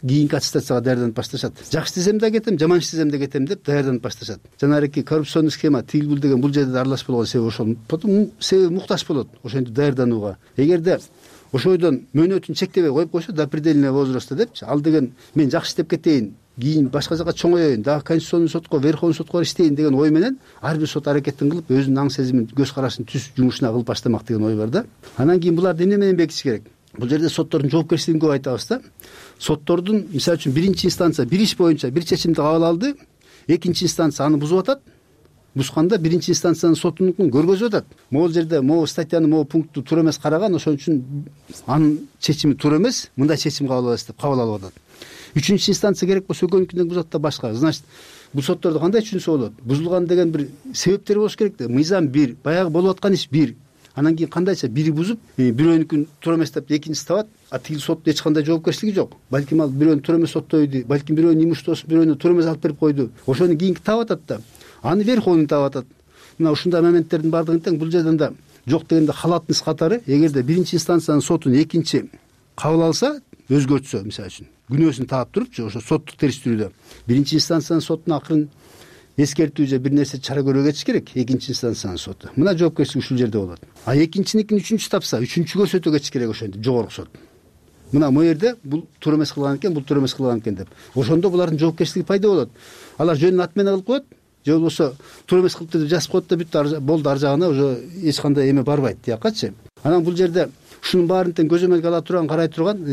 кийинки аттестацияга даярданып башташат. Жакшы иштесем да кетем, жаман иштесем да кетем деп даярданып башташат. Жанагы коррупционный схема тигил бул деген бул жерде да аралаш болгон себеби ошол. Потом себеби муктаж болот ошентип даярданууга. Эгерде ошойдон мөөнөтүн чектебей коюп койсо до предельного возраста депчи, ал деген мен жакшы иштеп кетейин, кийин башка жака чоңоёюн, дагы конституционный сотко, верховный сотко иштейин деген ой менен ар бир сот аракетин кылып өзүнүн аң сезимин, көз карашын түз жумушуна кылып баштамак деген ой бар да. Анан кийин буларды эмне менен бекитиш керек? Бул жерде соттордун жоопкерчилигин көп айтабыз да. Соттордун мисалы үчүн биринчи инстанция бир иш боюнча бир чечимди кабыл алды, экинчи инстанция аны бузуп атат. Бузганда биринчи инстанциянын сотунукун көргөзүп атат. Могул жерде могу статьяны могу пунктту туура эмес караган, ошон үчүн анын чечими туура эмес, мындай чечим кабыл алабыз деп кабыл алып атат. Үчүнчү инстанция керек болсо экөөнүкүнөн бузат да башка. Значит, бул соттордо кандай түшүнсө болот? Бузулган деген бир себептер болуш керек да. Мыйзам бир, баягы болуп аткан иш бир. Анан кийин кандайча бири бузуп, бирөөнүкүн туура эмес деп экинчиси табат, а тигил соттун эч кандай жоопкерчилиги жок. Балким ал бирөөнү туура эмес соттойду, балким бирөөнүн имуществосун бирөөнү туура эмес алып берип койду. Ошону кийинки таап атат да. Аны верховный таап атат. Мына ушундай моменттердин баардыгын тең бул жерден да жок дегенде халатность катары, эгерде биринчи инстанциянын сотун экинчи кабыл алса, өзгөртсө, мисалы үчүн күнөөсүн таап турупчу, ошо соттук териштирүүдө биринчи инстанциянын сотуна акырын эскертүү же бир нерсе чара көрүүгө кетиш керек, экинчи инстанциянын соту. Мына жоопкерчилик ушул жерде болот. А экинчиникин үчүнчү тапса, үчүнчүгө өтө кетиш керек ошентип жогорку сот. Мына могу жерде бул туура эмес кылган экен, бул туура эмес кылган экен деп. Ошондо булардын жоопкерчилиги пайда болот. Алар жөнүн аты менен кылып коет, же болбосо туура эмес кылыптыр деп жазып коет да бүт болду, ар жагына уже эч кандай эме барбайт тиякачы. Анан бул жерде ушунун баарын тең көзөмөлгө ала турган, карай турган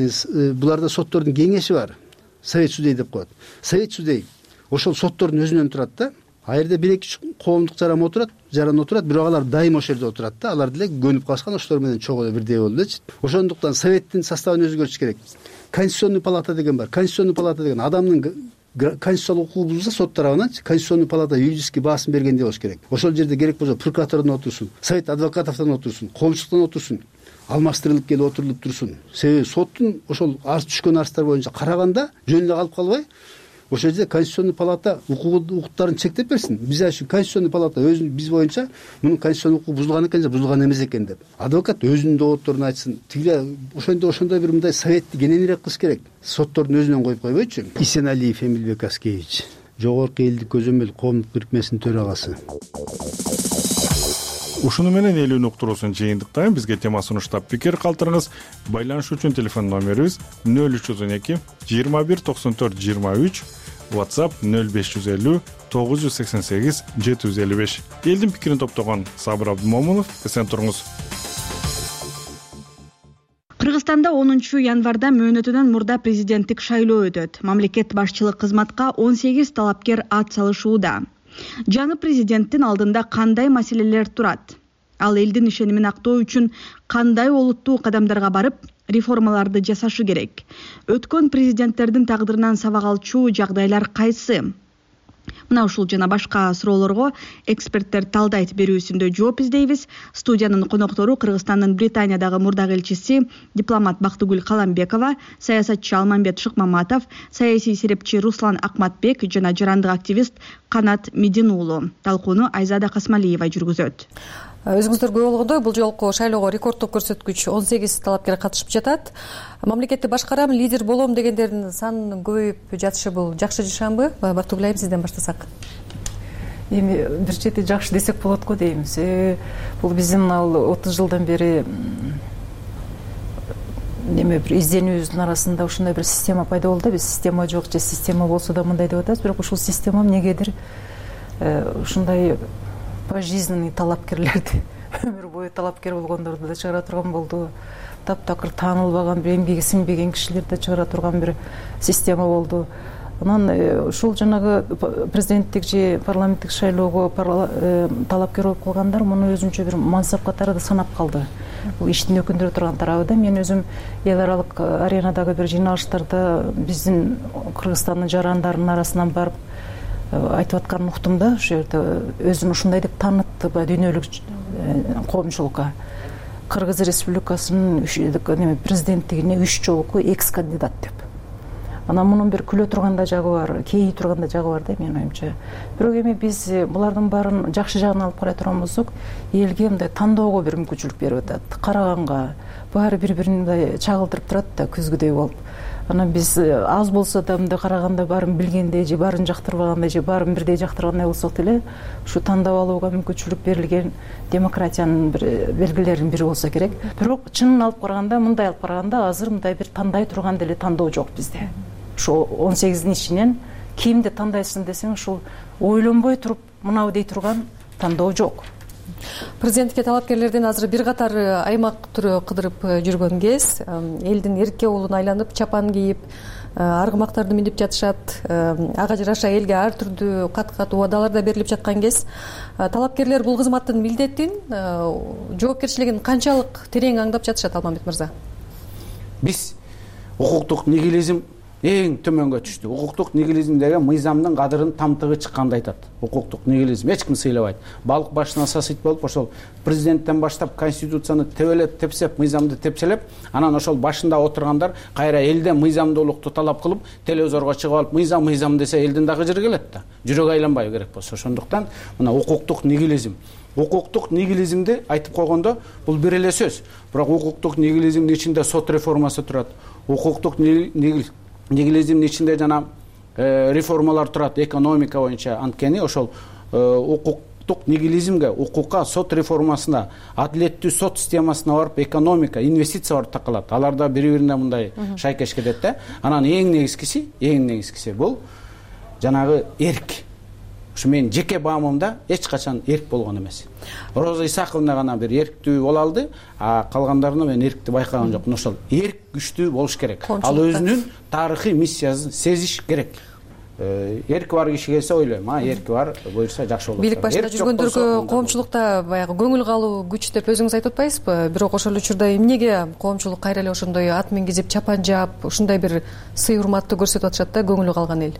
буларда соттордун кеңеши бар. Совет судей деп коет. Совет судей ошол соттордун өзүнөн турат да. А жерде бир эки коомдук жаран отурат, жаран отурат, бирок алар дайыма ошол жерде отурат да. Алар деле көнүп калышкан, ошолор менен чогуу бирдей болдучу. Ошондуктан советтин составын өзгөртүш керек. Конституционный палата деген бар. Конституционный палата деген адамдын конституциялык укугу бузулса сот тарабынан конституционный палата юридический баасын бергендей болуш керек. Ошол жерде керек болсо прокуратурдан отурсун, совет адвокатовдон отурсун, коомчулуктан отурсун, алмаштырылып келип отурулуп турсун. Себеби соттун ошол арыз түшкөн арыздар боюнча караганда жөн эле калып калбай, ошол жерде конституционный палата укуктарын чектеп берсин. Биз үчүн конституционный палата өзүн биз боюнча мунун конституционный укугу бузулган экен же бузулган эмес экен деп. Адвокат өзүнүн доводдорун айтсын. Тигиле ошондой ошондой бир мындай советти кененирээк кылыш керек. Соттордун өзүнөн коюп койбойчу. Исеналиев Эмилбек Аскевич, Жогорку элдик көзөмөл коомдук бирикмесинин төрагасы. Ушуну менен элүүнү уктуруусун жыйынтыктайм. Бизге тема сунуштап пикир калтырыңыз. Байланыш үчүн телефон номерибиз нөл үч жүз он эки жыйырма бир токсон төрт жыйырма үч, WhatsApp нөл беш жүз элүү тогуз жүз сексен сегиз жети жүз элүү беш. Элдин пикирин топтогон Сабыр Абдымомунов, эсен туруңуз. Кыргызстанда онунчу январда мөөнөтүнөн мурда президенттик шайлоо өтөт. Мамлекет башчылык кызматка он сегиз талапкер ат салышууда. Жаңы президенттин алдында кандай маселелер турат? Ал элдин ишенимин актоо үчүн кандай олуттуу кадамдарга барып, реформаларды жасашы керек? Өткөн президенттердин тагдырынан сабак алчу жагдайлар кайсы? Мына ушул жана башка суроолорго эксперттер талдайт берүүсүндө жооп издейбиз. Студиянын коноктору Кыргызстандын Британиядагы мурдагы элчиси дипломат Бактыгүл Каламбекова, саясатчы Алмамбет Шыкмаматов, саясий серепчи Руслан Акматбек жана жарандык активист Канат Медин уулу. Талкууну Айзада Касмалиева жүргүзөт. Өзүңүздөр көрүп болгондой, бул жолку шайлоого рекорддук көрсөткүч он сегиз талапкер катышып жатат. Мамлекетти башкарам, лидер болом дегендердин санынын көбөйүп жатышы бул жакшы жашанбы? Бактыгүл айым, сизден баштасак. Эми бир чети жакшы десек болот го деймиз. Бул биздин ал отуз жылдан бери неме бир изденүүбүздүн арасында ушундай бир система пайда болду. Биз система жок же система болсо да мындай деп атабыз, бирок ушул система эмнегедир ушундай пожизненный талапкерлерди, өмүр бою талапкер болгондорду да чыгара турган болду. Таптакыр таанылбаган, бир эмгеги сиңбеген кишилерди чыгара турган бир система болду. Анан ушул жанагы президенттик же парламенттик шайлоого талапкер болуп калгандар муну өзүнчө бир мансап катары да санап калды. бул иштин өкүндүрө турган тарабы да. Мен өзүм эл аралык аренадагы бир жыйналыштарда биздин Кыргызстандын жарандарынын арасынан барып айтып атканын уктум да. Ошол жерде өзүн ушундай деп таанытты дүйнөлүк коомчулукка. Кыргыз Республикасынын президенттигине үч жолку экс кандидат деп. Анан мунун бир күлө турган жагы бар, кейи турган жагы бар да менин оюмча. Бирок эми биз булардын баарын жакшы жагын алып карай турган болсок, элге мындай тандоого бир мүмкүнчүлүк берип атат. Караганга баары бири-бирин мындай чагылдырып турат да күзгүдөй болуп. Анан биз аз болсо да мындай караганда баарын билгендей же баарын жактырбагандай же баарын бирдей жактыргандай болсок деле ушу тандап алууга мүмкүнчүлүк берилген демократиянын бир белгилеринин бири болсо керек. Бирок чынын алып караганда, мындай алып караганда азыр мындай бир тандай турган деле тандоо жок бизде. Ошо он сегиздин ичинен кимди тандайсың десең, ушул ойлонбой туруп мынау дей турган тандоо жок. Президентке талапкерлерден азыр бир катар аймак түрү кыдырып жүргөн кез, элдин эркке уулуна айланып чапан кийип, аргымактарды минип жатышат, ага жараша элге ар түрдүү кат-кат убадалар да берилип жаткан кез. Талапкерлер бул кызматтын милдетин, жоопкерчилигин канчалык терең аңдап жатышат, Алмамбет мырза? Биз укуктук нигилизм эң төмөнгө түштү. Укуктук нигилизм деген мыйзамдын кадырын тамтыгы чыкканды айтат. Укуктук нигилизм эч ким сыйлабайт. Балык башына сасыйт болуп, ошол президенттен баштап конституцияны тебелеп, тепсеп, мыйзамды тепселеп, анан ошол башында отургандар кайра элден мыйзамдуулукту талап кылып, телевизорго чыгып алып, мыйзам мыйзам десе элдин дагы жыры келет да. Жүрөк айланбай керек болсо. Ошондуктан мына укуктук нигилизм. Укуктук нигилизмди айтып койгондо бул бир эле сөз. Бирок укуктук нигилизмдин ичинде сот реформасы турат. Укуктук нигилизмдин ичинде жана реформалар турат экономика боюнча. Анткени ошол укуктук нигилизмге, укукка, сот реформасына, адилеттүү сот системасына барып, экономика, инвестиция барып такалат. Алар да бири-бирине мындай шайкеш кетет да. Анан эң негизгиси, эң негизгиси бул жанагы эрк. Ушу менин жеке баамымда эч качан эрк болгон эмес. Роза Исаковна гана бир эрктүү боло алды, а калгандарына мен эркти байкаган жокмун. Ошол эрк күчтүү болуш керек. Ал өзүнүн тарыхый миссиясын сезиш керек. Эрки бар киши келсе ойлойм, а эрки бар буюрса жакшы болот. Бийлик башында жүргөндөргө коомчулукта баягы көңүл калуу күч деп өзүңүз айтып атпайсызбы? Бирок ошол учурда эмнеге коомчулук кайра эле ошондой ат мингизип, чапан жаап, ушундай бир сый урматты көрсөтүп атышат да көңүлү калган эл?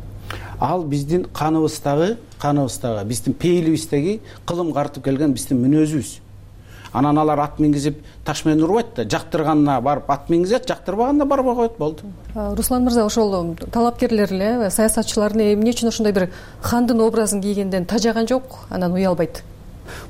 Ал биздин каныбыздагы, каныбыздагы, биздин пейилибиздеги кылым картып келген биздин мүнөзүбүз. Анан алар ат мингизип таш менен урбайт да, жактырганына барып ат мингизет, жактырбаганына барбай коет, болду. Руслан мырза, ошол талапкерлер эле, саясатчылар эмне үчүн ошондой бир хандын образын кийгенден тажаган жок, анан уялбайт?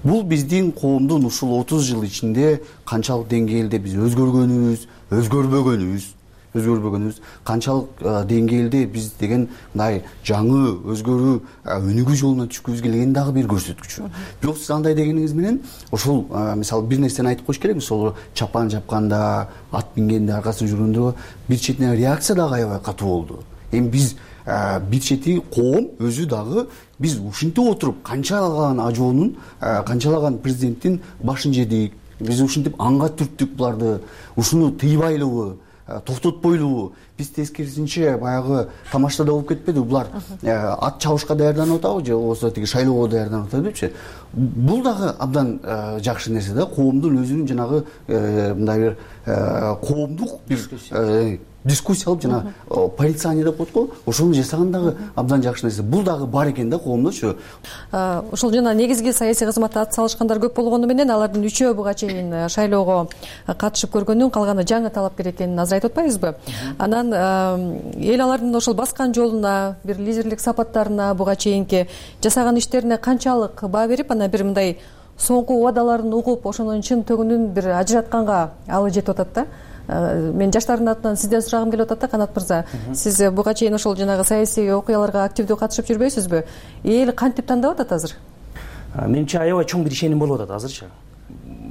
Бул биздин коомдун ушул отуз жыл ичинде канчалык деңгээлде биз өзгөргөнүбүз, өзгөрбөгөнүбүз, өзгөрбөгөнүбүз, канчалык деңгээлде биз деген мындай жаңы өзгөрүү өнүгүү жолуна түшкүбүз келген дагы бир көрсөткүч. Бирок сиз андай дегениңиз менен ошол мисалы бир нерсени айтып коюш керек, ошол чапан жапканда, ат мингенде, аркасынан жүргөндө бир четинен реакция дагы аябай катуу болду. Эми биз бир чети коом өзү дагы биз ушинтип отуруп канчалаган ажоонун, канчалаган президенттин башын жедик, биз ушинтип анга түрттүк буларды, ушуну тыйбайлыбы, токтотпойлубу? Биз тескерисинче баягы тамашада болуп кетпедиби? Булар ат чабышка даярданып атабы же болбосо тиги шайлоого даярданып атабы депчи. Бул дагы абдан жакшы нерсе да, коомдун өзүнүн жанагы мындай бир коомдук бир дискуссия алып жана порицание деп коет го, ошону жасаган дагы абдан жакшы нерсе. Бул дагы бар экен да коомдочу. Ошол жана негизги саясий кызматта ат салышкандар көп болгону менен алардын үчөө буга чейин шайлоого катышып көргөндүн калганы жаңы талапкер экенин азыр айтып атпайбызбы? Анан эл алардын ошол баскан жолуна, бир лидерлик сапаттарына, буга чейинки жасаган иштерине канчалык баа берип, анан бир мындай соңку убадаларын угуп, ошонун чын төгүнүн бир ажыратканга алы жетип атат да. Мен жаштардын атынан сизден сурагым келип атат да, Канат мырза. Сиз буга чейин ошол жанагы саясий окуяларга активдүү катышып жүрбөйсүзбү? Эл кантип тандап атат азыр? Менимче аябай чоң бир ишеним болуп атат азырчы.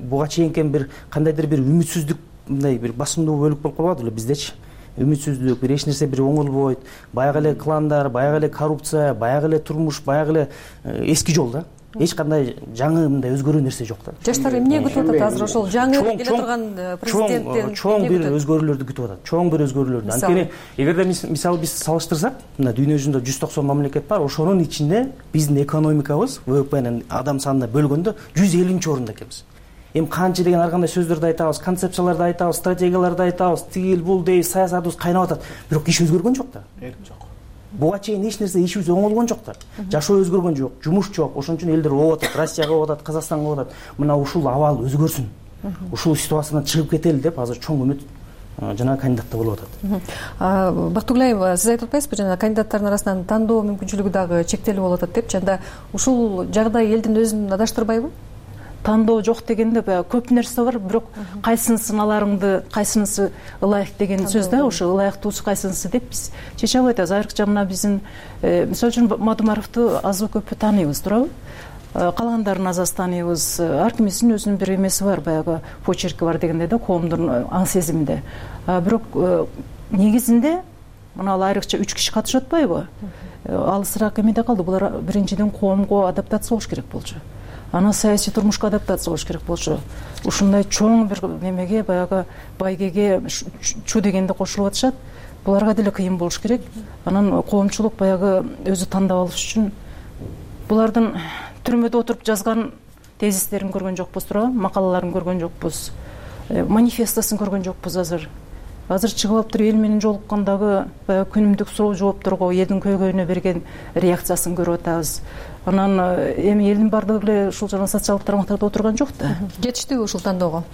Буга чейинки бир кандайдыр бир үмүтсүздүк, мындай бир басымдуу бөлүк болуп калбады эле биздечи. Үмүтсүздүк, бир эч нерсе бир оңолбойт, баягы эле кландар, баягы эле коррупция, баягы эле турмуш, баягы эле эски жол да. Эч кандай жаңы мындай өзгөрүү нерсе жок да. Жаштар эмне күтүп атат азыр ошол жаңы келе турган президенттен? Чоң бир өзгөрүүлөрдү күтүп атат. Чоң бир өзгөрүүлөрдү. Анткени эгерде мисалы биз салыштырсак, мына дүйнө жүзүндө жүз токсон мамлекет бар, ошонун ичинде биздин экономикабыз вэ вэ пенин адам санына бөлгөндө жүз элүүнчү орунда экенбиз. эми канча деген ар кандай сөздөрдү айтабыз, концепцияларды айтабыз, стратегияларды айтабыз, тигил бул дейбиз, саясатыбыз кайнап атат, бирок иш өзгөргөн жок да. Жок. Буга чейин эч нерсе ишибиз оңолгон жок да. Жашоо өзгөргөн жок, жумуш жок. Ошон үчүн элдер ооп атат, Россияга ооп атат, Казакстанга ооп атат. Мына ушул абал өзгөрсүн. Ушул ситуациядан чыгып кетели деп азыр чоң үмүт жана кандидатта болуп атат. Бактыгулаева, сиз айтып атпайсызбы, жана кандидаттардын арасынан тандоо мүмкүнчүлүгү дагы чектелип болуп атат депчи. Анда ушул жагдай элдин өзүн адаштырбайбы? Тандоо жок дегенде баягы көп нерсе бар, бирок кайсынысын аларыңды, кайсынысы ылайык деген сөз да, ошо ылайыктуусу кайсынысы деп биз чече албай атабыз. Айрыкча мына биздин, мисалы үчүн Мадумаровду азбы көппү тааныйбыз, туурабы? Калгандарын аз аз тааныйбыз. Ар кимисинин өзүнүн бир эмеси бар, баягы почерки бар дегенде да, коомдун аң сезиминде. Бирок негизинде мына ал айрыкча үч киши катышып атпайбы? Алысыраак эмеде калды. Булар биринчиден коомго адаптация болуш керек болчу. Анан саясий турмушка адаптация болуш керек болчу. Ушундай чоң бир немеге, баягы байгеге чу дегенде кошулуп атышат. Буларга деле кыйын болуш керек. Анан коомчулук баягы өзү тандап алыш үчүн булардын түрмөдө отуруп жазган тезистерин көргөн жокпуз, туурабы? Макалаларын көргөн жокпуз. Манифестосун көргөн жокпуз азыр. Азыр чыгып алып туруп эл менен жолуккандагы баягы күнүмдүк суроо жоопторго элдин көйгөйүнө берген реакциясын көрүп атабыз. Анан эми элдин бардыгы эле ушул жана социалдык тармактарда отурган жок да. Жетиштүүбү ушул тандоого?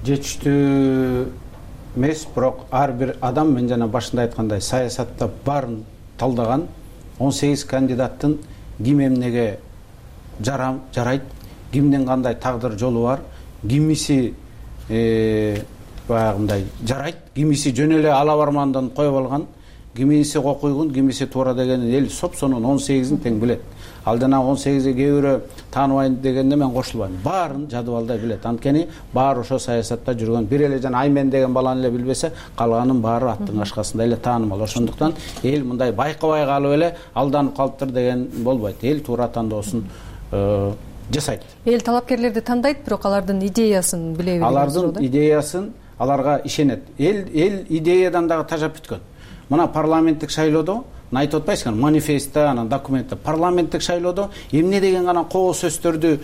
Жетиштүү эмес, бирок ар бир адам, мен жана башында айткандай, саясатта баарын талдаган он сегиз кандидаттын ким эмнеге жарам жарайт, кимдин кандай тагдыр жолу бар, кимиси баягындай жарайт, кимиси жөн эле ала бармандан коюп алган, кимиси кокуйгун, кимиси туура дегенин эл сопсонун он сегизин тең билет. Ал жана он сегизге кээ бирөө тааныбайм дегенде мен кошулбайм. Баарын жадыбалдай билет. Анткени баары ошо саясатта жүргөн. Бир эле жана Аймен деген баланы эле билбесе, калганын баары аттын кашкасында эле таанымал. Ошондуктан эл мындай байкабай калып эле алданып калыптыр деген болбойт. Эл туура тандоосун жасайт. Эл талапкерлерди тандайт, бирок алардын идеясын биле билет. Алардын идеясын аларга ишенет. Эл эл идеядан дагы тажап бүткөн. Мына парламенттик шайлоодо айтып атпайсыңар, манифестте, анан документте, парламенттик шайлоодо эмне деген гана коо сөздөрдү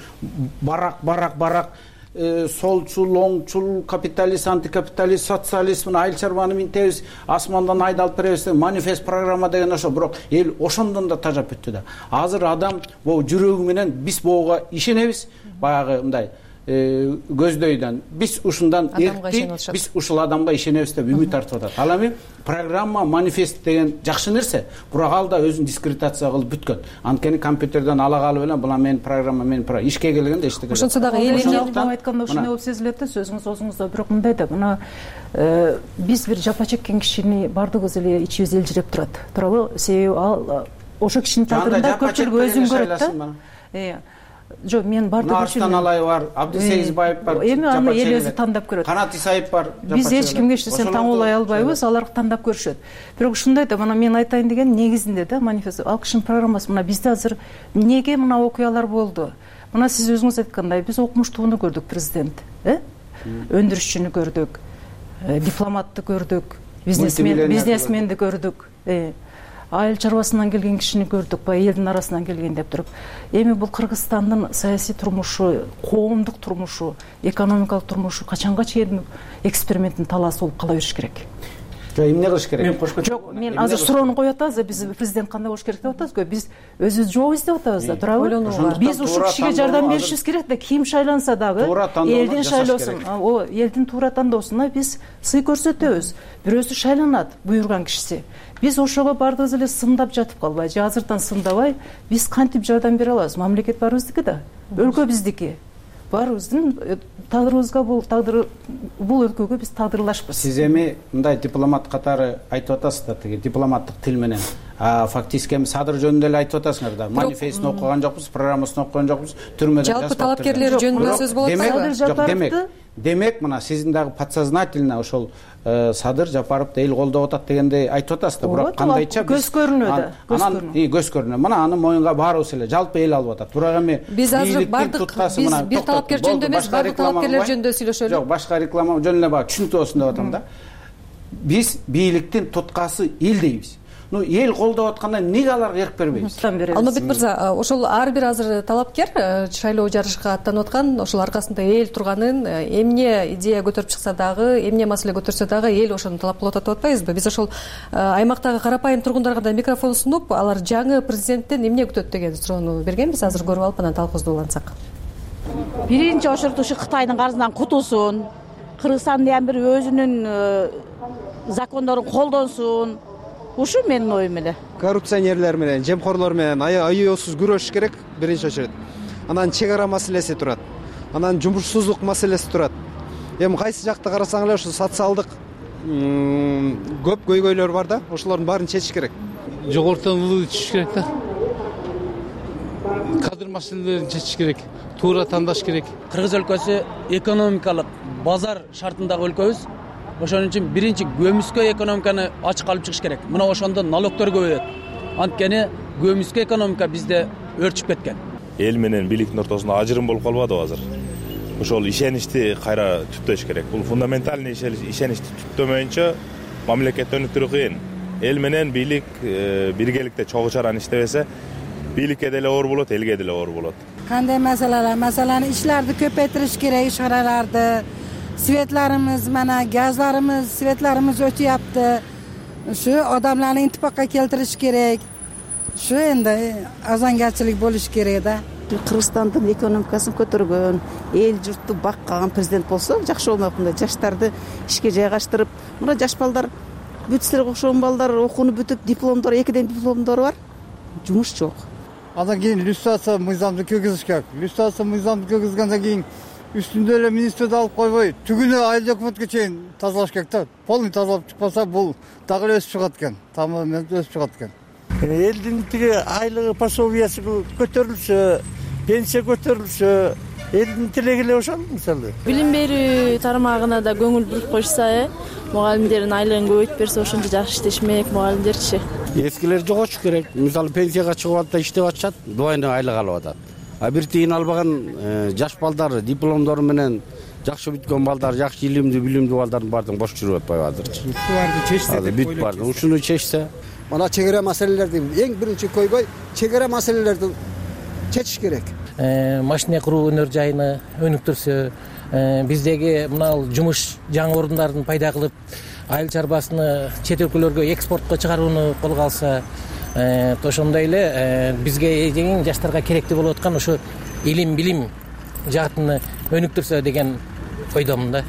барак барак барак солчул, оңчул, капиталист, антикапиталист, социалист, мына айыл чарбаны минтебиз, асмандан айдалып беребиз, манифест программа деген ошо, бирок эл ошондон да тажап бүттү да. Азыр адам бул жүрөгү менен биз буга ишенебиз, баягы мындай көздөйдөн биз ушундан эркти, биз ушул адамга ишенебиз деп үмүт артып атат. Ал эми программа, манифест деген жакшы нерсе, бирок ал да өзүн дискредитация кылып бүткөн. Анткени компьютерден ала калып эле була менин программа, менин программа ишке келгенде эчтеке. Ошонсо дагы эл айтканда ошондой болуп сезилет да, сөзүңүз өзүңүздө. Бирок мындай да, мына биз бир жапа чеккен кишини бардыгыбыз эле ичибиз элжиреп турат. Туурабы? Себеби ал ошо кишинин тагдырында көпчүлүк өзүн көрөт да. Жок, мен бардык Арстан Алай бар, Абдысегизбаев бар. Эми аны эл өзү тандап көрөт. Канат Исаев бар. Биз эч кимге эч нерсени таңуулай албайбыз, алар тандап көрүшөт. Бирок ушундай да, мына мен айтайын деген негизинде да, манифест ал кишинин программасы. Мына бизде азыр эмнеге мына окуялар болду? Мына сиз өзүңүз айткандай, биз окумуштууну көрдүк, президент, э? Өндүрүшчүнү көрдүк, дипломатты көрдүк, бизнесмен, бизнесменди көрдүк. Айыл чарбасынан келген кишини көрдүк, баягы элдин арасынан келген деп туруп. Эми бул Кыргызстандын саясий турмушу, коомдук турмушу, экономикалык турмушу качанга чейин эксперименттин талаасы болуп кала бериш керек? Жок, эмне кылыш керек? Мен кошко жок, мен азыр суроону коюп атабыз, биз президент кандай болуш керек деп атабыз-го. Биз өзүбүз жооп издеп атабыз да, туурабы? Биз ушул кишиге жардам беришибиз керек да, ким шайланса дагы элдин шайлоосун, о, элдин туура тандоосуна биз сый көрсөтөбүз. Бирөөсү шайланат, буйруган кишиси. Биз ошого бардыгыбыз эле сындап жатып калбай, же азырдан сындабай, биз кантип жардам бере алабыз? Мамлекет баарыбыздыкы да, өлкө биздики. Баарыбыздын тагдырыбызга бул тагдыр бул өлкөгө биз тагдырлашпыз. Сиз эми мындай дипломат катары айтып атасыз да, тиги дипломаттык тил менен. А фактически эми Садыр жөнүндө эле айтып атасыңар да. Манифестин окуган жокпуз, программасын окуган жокпуз, түрмөдө жазып. Жалпы талапкерлер жөнүндө сөз болот да. Демек, демек мына сиздин дагы подсознательно ошол Садыр Жапаровду эл колдоп атат дегенде айтып атасыз да, бирок кандайча көз көрүнөт да. Анан көз көрүнөт. Мына аны моюнга баарыбыз эле жалпы эл алып атат. Бирок эми биз азыр бардык биз бир талапкер жөнүндө эмес, бардык талапкерлер жөнүндө сүйлөшөлү. Жок, башка реклама жөнүндө баг түшүнүктүү болсун деп атам да. Биз бийликтин туткасы эл дейбиз. ну эл колдоп атканда эмнеге аларга эрк бербейбиз? Алмабек мырза, ошол ар бир азыр талапкер шайлоо жарышка аттанып аткан, ошол аркасында эл турганын, эмне идея көтөрүп чыкса дагы, эмне маселе көтөрсө дагы эл ошону талап кылып атат деп атпайбызбы? Биз ошол аймактагы карапайым тургундарга да микрофон сунуп, алар жаңы президенттен эмне күтөт деген суроону бергенбиз. Азыр көрүп алып анан талкуубузду улантсак. Биринчи ошол ушу Кытайдын карызынан кутулсун, Кыргызстан дагы бир өзүнүн закондорун колдонсун. Ушу менин оюм эле. Коррупционерлер менен, жемкорлор менен аябсыз күрөшүш керек биринчи очередь. Анан чек ара маселеси турат. Анан жумушсуздук маселеси турат. Эми кайсы жакта карасаң эле ушу социалдык көп көйгөйлөр бар да, ошолордун баарын чечиш керек. Жогортон улуу чечиш керек да. Кадр маселелерин чечиш керек. Туура тандаш керек. Кыргыз өлкөсү экономикалык базар шартындагы өлкөбүз. Ошон үчүн биринчи көмүскө экономиканы ачык алып чыгыш керек. Мына ошондо налогтор көбөйөт. Анткени көмүскө экономика бизде өрчүп кеткен. Эл менен бийликтин ортосунда ажырым болуп калбадыбы азыр? Ошол ишеничти кайра түптөш керек. Бул фундаментальный ишеничти түптөмөйүнчө мамлекет өнүктүрүү кыйын. Эл менен бийлик биргеликте чогуу чараны иштебесе, бийликке деле оор болот, элге деле оор болот. Кандай маселелер? Маселени ишлерди көпөйтүрүш керек, иш чараларды. Светларыбыз, мана газларыбыз, светларыбыз өтүяпты. Ушу адамдарды интипакка келтириш керек. Ушу энди азангарчылык болуш керек да. Кыргызстандын экономикасын көтөргөн, эл журтту баккан президент болсо жакшы болмокмун да. Жаштарды ишке жайгаштырып, мына жаш балдар бүтсөлөргө окшогон балдар окууну бүтүп, дипломдор, экиден дипломдору бар. Жумуш жок. Андан кийин иллюстрация мыйзамды киргизиш керек. Иллюстрация мыйзамды киргизгенден кийин үстүндө эле министрди алып койбой, түгүнү айыл өкмөткө чейин тазалаш керек да. Полный тазалап чыкпаса, бул дагы эле өсүп чыгат экен. Тамам өсүп чыгат экен. Элдин тиги айлыгы, пособиясы көтөрүлсө, пенсия көтөрүлсө, элдин тилеги эле ошол мисалы. Билим берүү тармагына да көңүл буруп койсо, э, мугалимдердин айлыгын көбөйтүп берсе, ошончо жакшы иштешмек мугалимдерчи. Эскилер жоготуш керек. Мисалы пенсияга чыгып атып иштеп атышат, двойной айлык алып атат. А бир тиын албаган жаш балдар, дипломдору менен жакшы бүткөн балдар, жакшы илимдүү, билимдүү балдардын баардыгы бош жүрүп атпайбы азырчы. Ушуларды чечсе деп бүт барды. Ушуну чечсе. Мана чек ара маселелерди эң биринчи көйгөй чек ара маселелерди чечиш керек. Машина куруу өнөр жайыны өнүктүрсө, биздеги мына жумуш жаңы орундарын пайда кылып, айыл чарбасыны чет өлкөлөргө экспортко чыгарууну колго алса, ошондой эле бизге эң жаштарга керектүү болуп аткан ошо илим, билим жаатыны өнүктүрсө деген ойдомун да.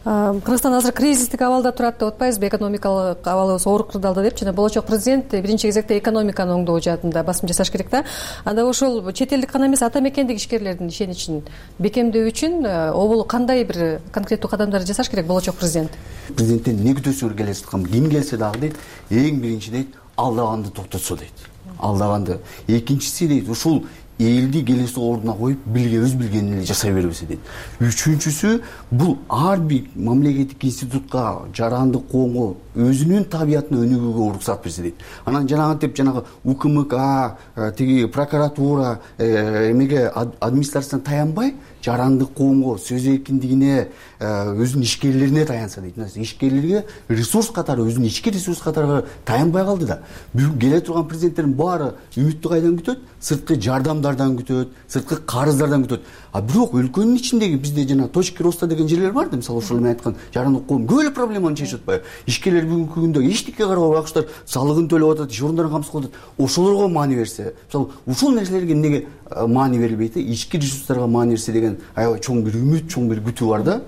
Кыргызстан азыр кризистик абалда турат деп атпайбызбы? Экономикалык абалыбыз оор кырдаалда деп жана болочок президент биринчи кезекте экономиканы оңдоо жаатында басым жасаш керек да. Анда ошол чет элдик гана эмес ата мекендик ишкерлердин ишеничин бекемдөө үчүн обол кандай бир конкреттүү кадамдар жасаш керек болочок президент? Президенттен эмне күтөсүңөр келе жаткан ким келсе дагы дейт, эң биринчи дейт, алдаганды токтотсо дейт. Алдаганды. Экинчиси дейт, ушул элди келесі ордуна коюп билге өз билгенин эле жасай бербесе дейт. Үчүнчүсү бул ар бир мамлекеттик институтка, жарандык коомго өзүнүн табиятына өнүгүүгө уруксат берсе дейт. Анан жанагынтип жанагы УКМК, тиги прокуратура, эмеге администрациядан таянбай, жарандык коомго, сөз эркиндигине, өзүнүн ишкерлерине таянса дейт. Ишкерлерге ресурс катары, өзүнүн ички ресурс катары таянбай калды да. Бүгүн келе турган президенттердин баары үмүттү кайдан күтөт? Сырткы жардамдардан күтөт, сырткы карыздардан күтөт. А бирок өлкөнүн ичиндеги бизде жана точки роста деген жерлер бар да, мисалы ошол мен айткан жарандык коом көп эле проблеманы чечип атпайбы? Ишкерлер бүгүнкү күндө эчтеке карабай акчалар салыгын төлөп атат, иш орундарын камсыз кылып атат. Ошолорго маани берсе, мисалы ушул нерселерге эмнеге маани берилбейт? Ички ресурстарга маани берсе деген аябай чоң бир үмүт, чоң бир күтүү бар да.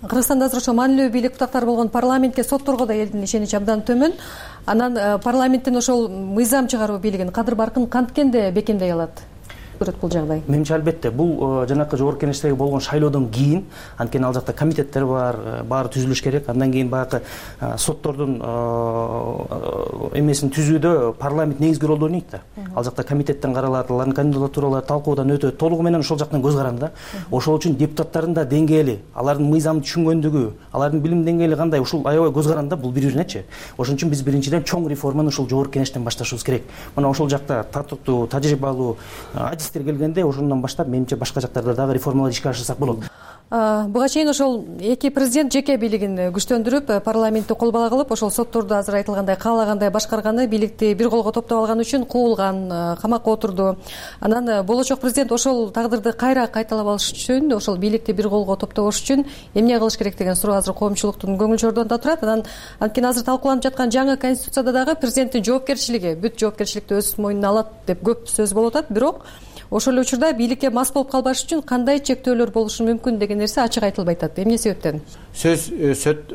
Кыргызстанда азыр ошо маанилүү бийлик бутактары болгон парламентке, сотторго да элдин ишеничи абдан төмөн. Анан парламенттин ошол мыйзам чыгаруу бийлигин, кадыр баркын канткенде бекемдей алат? Көрөт бул жагдай. Менимче албетте бул жанакы жогорку кеңештеги болгон шайлоодон кийин, анткени ал жакта комитеттер бар, баары түзүлүш керек. Андан кийин баягы соттордун эмесин түзүүдө парламент негизги ролду ойнойт да. Ал жакта комитеттен каралат, алардын кандидатуралары талкуудан өтөт, толугу менен ошол жактан көз каранды да. Ошол үчүн депутаттардын да деңгээли, алардын мыйзамды түшүнгөндүгү, алардын билим деңгээли кандай, ушул аябай көз каранды бул бири-биринечи. Ошон үчүн биз биринчиден чоң реформаны ушул жогорку кеңештен башташыбыз керек. Мына ошол жакта татыктуу, тажрыйбалуу келгенде ошондон баштап менимче башка жактарда дагы реформалар ишке ашырсак болот. буга чейин ошол эки президент жеке бийлигин күчтөндүрүп парламентти кол бала кылып ошол сотторду азыр айтылгандай каалагандай башкарганы, бийликти бир колго топтоп алган үчүн куулган, камакка отурду. Анан болочок президент ошол тагдырды кайра кайталап алыш үчүн, ошол бийликти бир колго топтош үчүн эмне кылыш керек деген суроо азыр коомчулуктун көңүл чордонунда турат. Анан анткени азыр талкууланып жаткан жаңы конституцияда дагы президенттин жоопкерчилиги, бүт жоопкерчиликти өз мойнуна алат деп көп сөз болуп атат. Бирок ошол эле учурда бийликке мас болуп калбаш үчүн кандай чектөөлөр болушу мүмкүн деген нерсе ачык айтылбай атат. Эмне себептен? Сөз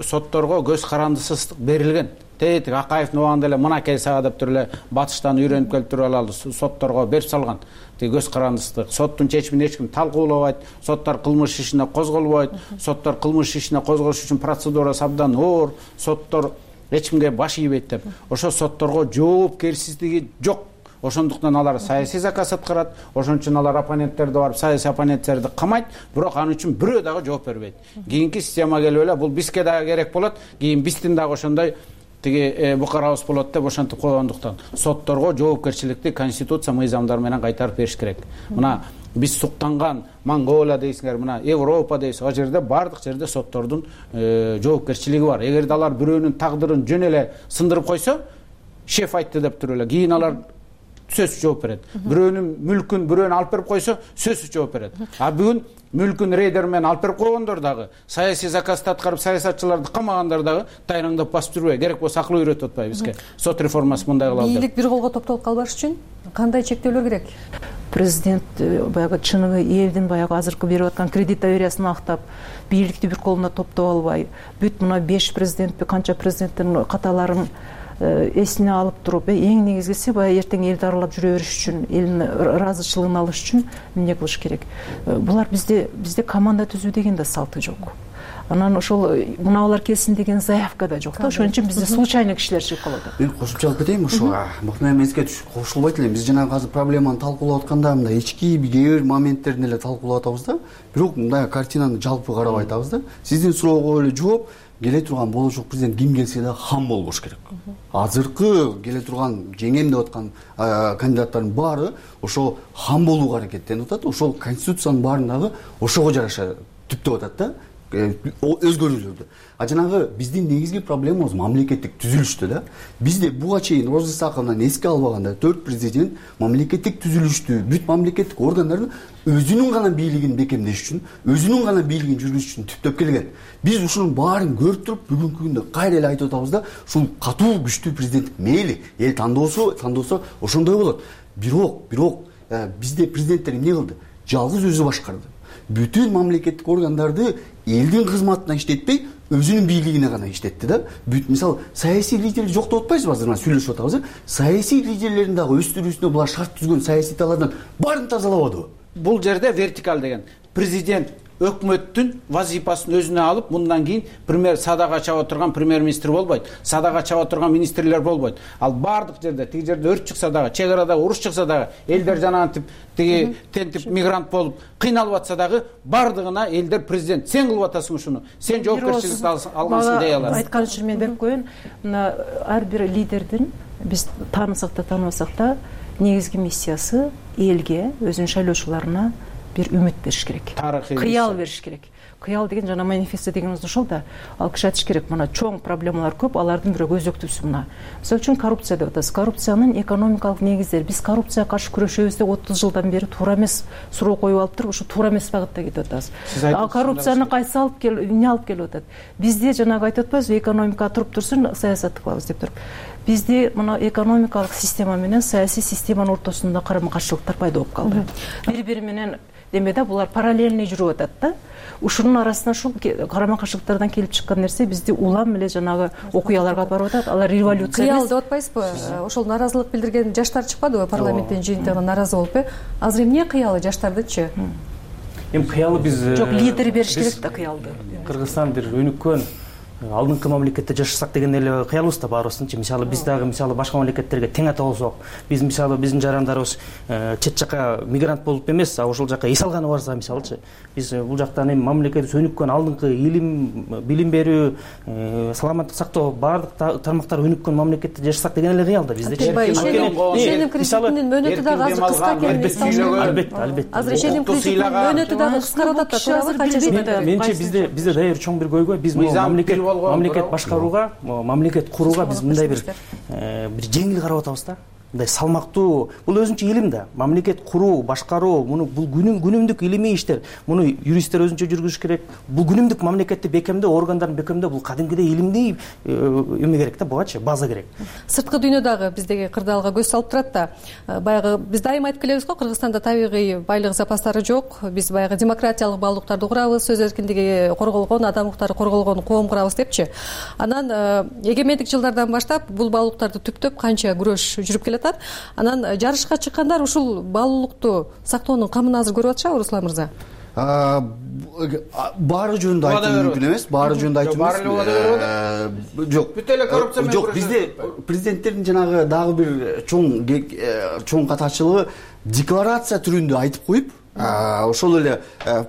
сотторго көз карандысыздык берилген. Тетик Акаевдин убагында эле мынакей сага деп туруп эле батыштан үйрөнүп келип туруп алалы сотторго берип салган. Тиги көз карандысыздык. Соттун чечимин эч ким талкуулабайт, соттор кылмыш ишине козголбойт, соттор кылмыш ишине козголуш үчүн процедурасы абдан оор, соттор эч кимге баш ийбейт деп. Ошо сотторго жоопкерчилиги жок. Ошондуктан алар саясий заказ аткарат, ошон үчүн алар оппоненттерди барып саясий оппоненттерди камайт, бирок анын үчүн бирөө дагы жооп бербейт. Кийинки система келип эле бул бизге дагы керек болот, кийин биздин дагы ошондой тиги букарабыз болот деп ошентип койгондуктан сотторго жоопкерчиликти конституция мыйзамдары менен кайтарып бериш керек. Мына биз суктанган Монголия дейсиңер, мына Европа дейсиз, ал жерде бардык жерде соттордун жоопкерчилиги бар. Эгерде алар бирөөнүн тагдырын жөн эле сындырып койсо, шеф айтты деп туруп эле, кийин алар сөзсүз жооп берет. Бирөөнүн мүлкүн бирөөнү алып берип койсо, сөзсүз жооп берет. А бүгүн мүлкүн рейдер менен алып берип койгондор дагы, саясий заказды аткарып саясатчыларды камагандар дагы тайраңдап басып жүрбөй, керек болсо акыл үйрөтүп атпайбы бизге. Сот реформасы мындай кылалы деп. Бийлик бир колго топтолуп калбаш үчүн кандай чектөөлөр керек? Президент баягы чыныгы элдин баягы азыркы берип аткан кредит довериясын актап, бийликти бир колуна топтоп албай, бүт мына беш президентпи, канча президенттин каталарын эсине алып туруп, эң негизгиси баягы эртең элди аралап жүрө бериш үчүн, элдин ыраазычылыгын алыш үчүн эмне кылыш керек? Булар бизде бизде команда түзүү деген да салты жок. Анан ошол муналар келсин деген заявка да жок да. Ошон үчүн бизде случайный кишилер чыгып калат. Мен кошумча алып кетейинби ушуга? Мыкты эмеске кошулбайт элем. Биз жанагы азыр проблеманы талкуулап атканда мындай ички кээ бир моменттерин эле талкуулап атабыз да. Бирок мындай картинаны жалпы карап айтабыз да. Сиздин суроого эле жооп келе турган болочок президент ким келсе да хам болбош керек. Азыркы келе турган жеңем деп аткан кандидаттардын баары ошо хам болууга аракеттенип атат. Ошол конституциянын баарын дагы ошого жараша түптөп атат да. Өзгөрүүлөрдү. А жанагы биздин негизги проблемабыз мамлекеттик түзүлүштө да. Бизде буга чейин Роза Исаковнадан эске албаганда төрт президент мамлекеттик түзүлүштү, бүт мамлекеттик органдардын өзүнүн гана бийлигин бекемдеш үчүн, өзүнүн гана бийлигин жүргүзүш үчүн түптөп келген. Биз ушунун баарын көрүп туруп, бүгүнкү күндө кайра эле айтып атабыз да, ушул катуу күчтүү президент мейли, эл тандоосу, тандоосо ошондой болот. Бирок, бирок бизде президенттер эмне кылды? Жалгыз өзү башкарды. Бүтүн мамлекеттик органдарды элдин кызматына иштетпей, өзүнүн бийлигине гана иштетти да. Бүт мисалы саясий лидер жок деп атпайсызбы? Азыр мына сүйлөшүп атабыз. Саясий лидерлердин дагы өстүрүүсүнө булар шарт түзгөн саясий талаардан баарын тазалабадыбы? Бул жерде вертикаль деген президент өкмөттүн вазифасын өзүнө алып, мындан кийин премьер садага чаба турган премьер-министр болбойт, садага чаба турган министрлер болбойт. Ал бардык жерде, тиги жерде өрт чыкса дагы, чек арада уруш чыкса дагы, элдер жанагынтип тиги тентип мигрант болуп кыйналып атса дагы, бардыгына элдер президент сен кылып атасың ушуну, сен жоопкерчиликти алгансың дей алат. Айткан үчүн мен берип коеюн, мына ар бир лидердин биз таанысак да тааныбасак да негизги миссиясы элге, өзүнүн шайлоочуларына бир үмүт бериш керек. Кыял бериш керек. Кыял деген жана манифесто дегенибиз ошол да. Ал киши айтыш керек, мына чоң проблемалар көп, алардын бирөө өзөктүүсү мына. Мисалы үчүн коррупция деп атабыз. Коррупциянын экономикалык негиздери. Биз коррупцияга каршы күрөшөбүз деп отуз жылдан бери туура эмес суроо коюп алып туруп, ушу туура эмес багытта кетип атабыз. А коррупцияны кайсы алып кел, эмне алып келип атат? Бизде жанагы айтып атпайбызбы, экономика туруп турсун, саясатты кылабыз деп туруп. Бизде мына экономикалык система менен саясий системанын ортосунда карама-каршылыктар пайда болуп калды. Бири-бири менен демеде булар параллельный жүрүп атат да. Ушунун арасына ушул карама-каршылыктардан келип чыккан нерсе бизди улам эле жанагы окуяларга алып барып атат. Алар революция кыял деп атпайсызбы? Ошол наразылык билдирген жаштар чыкпадыбы парламенттин жыйынтыгына наразы болуп? Азыр эмне кыялы жаштардычы? Эми кыялы биз жок, лидер бериш керек да кыялды. Кыргызстан бир өнүккөн алдыңкы мамлекетте жашасак деген эле кыялыбыз да баарыбыздынчы. Мисалы биз дагы мисалы башка мамлекеттерге тең ата болсок, биз мисалы биздин жарандарыбыз чет жака мигрант болуп эмес, а ошол жака эс алганы барса мисалычы, биз бул жактан эми мамлекетибиз өнүккөн алдыңкы илим, билим берүү, саламаттык сактоо баардык тармактар өнүккөн мамлекетте жашасак деген эле кыял да биздечи. Ишеним кредитинин мөөнөтү дагы азыр кыска экен. Албетте, албетте. Азыр ишеним кредитинин мөөнөтү дагы кыскарып атат да, туурабы? Канча? Менимче бизде бизде дайыр чоң бир көйгөй, биз мамлекет мамлекет башкарууга, мамлекет курууга биз мындай бир бир жеңил карап атабыз да. Мындай салмактуу, бул өзүнчө илим да. Мамлекет куруу, башкаруу, муну бул күнүм күнүмдүк илимий иштер. Муну юристтер өзүнчө жүргүзүш керек. Бул күнүмдүк мамлекетти бекемдөө, органдарын бекемдөө бул кадимкидей илимдей эме керек да, бугачы база керек. Сырткы дүйнө дагы биздеги кырдаалга көз салып турат да. Баягы биз дайыма айтып келебиз го, Кыргызстанда табигый байлык запастары жок. Биз баягы демократиялык баалуулуктарды курабыз, сөз эркиндиги корголгон, адам укуктары корголгон коом курабыз депчи. Анан эгемендик жылдардан баштап бул баалуулуктарды түптөп канча күрөш жүрүп келет. Анан жарышка чыккандар ушул баалуулукту сактоонун камын азыр көрүп атышабы, Руслан мырза? Баары жөнүндө айтуу мүмкүн эмес, баары жөнүндө айтуу эмес. Жок, бүт эле коррупция менен. Жок, бизде президенттердин жанагы дагы бир чоң чоң катачылыгы декларация түрүндө айтып коюп, ошол эле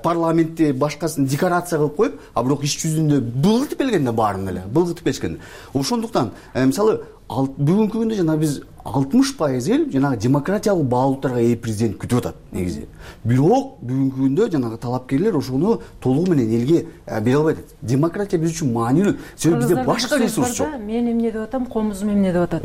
парламентте башкасын декларация кылып коюп, а бирок иш жүзүндө былгытып келген да баарын эле, былгытып келишкен. Ошондуктан мисалы бүгүнкү күндө жана биз алтымыш пайыз эл жанагы демократиялык баалуулуктарга ээ президент күтүп атат негизи. Бирок бүгүнкү күндө жанагы талапкерлер ошону толугу менен элге бере албай атат. Демократия биз үчүн маанилүү. Себеби бизде башка ресурс жок. Мен эмне деп атам, комузум эмне деп атат.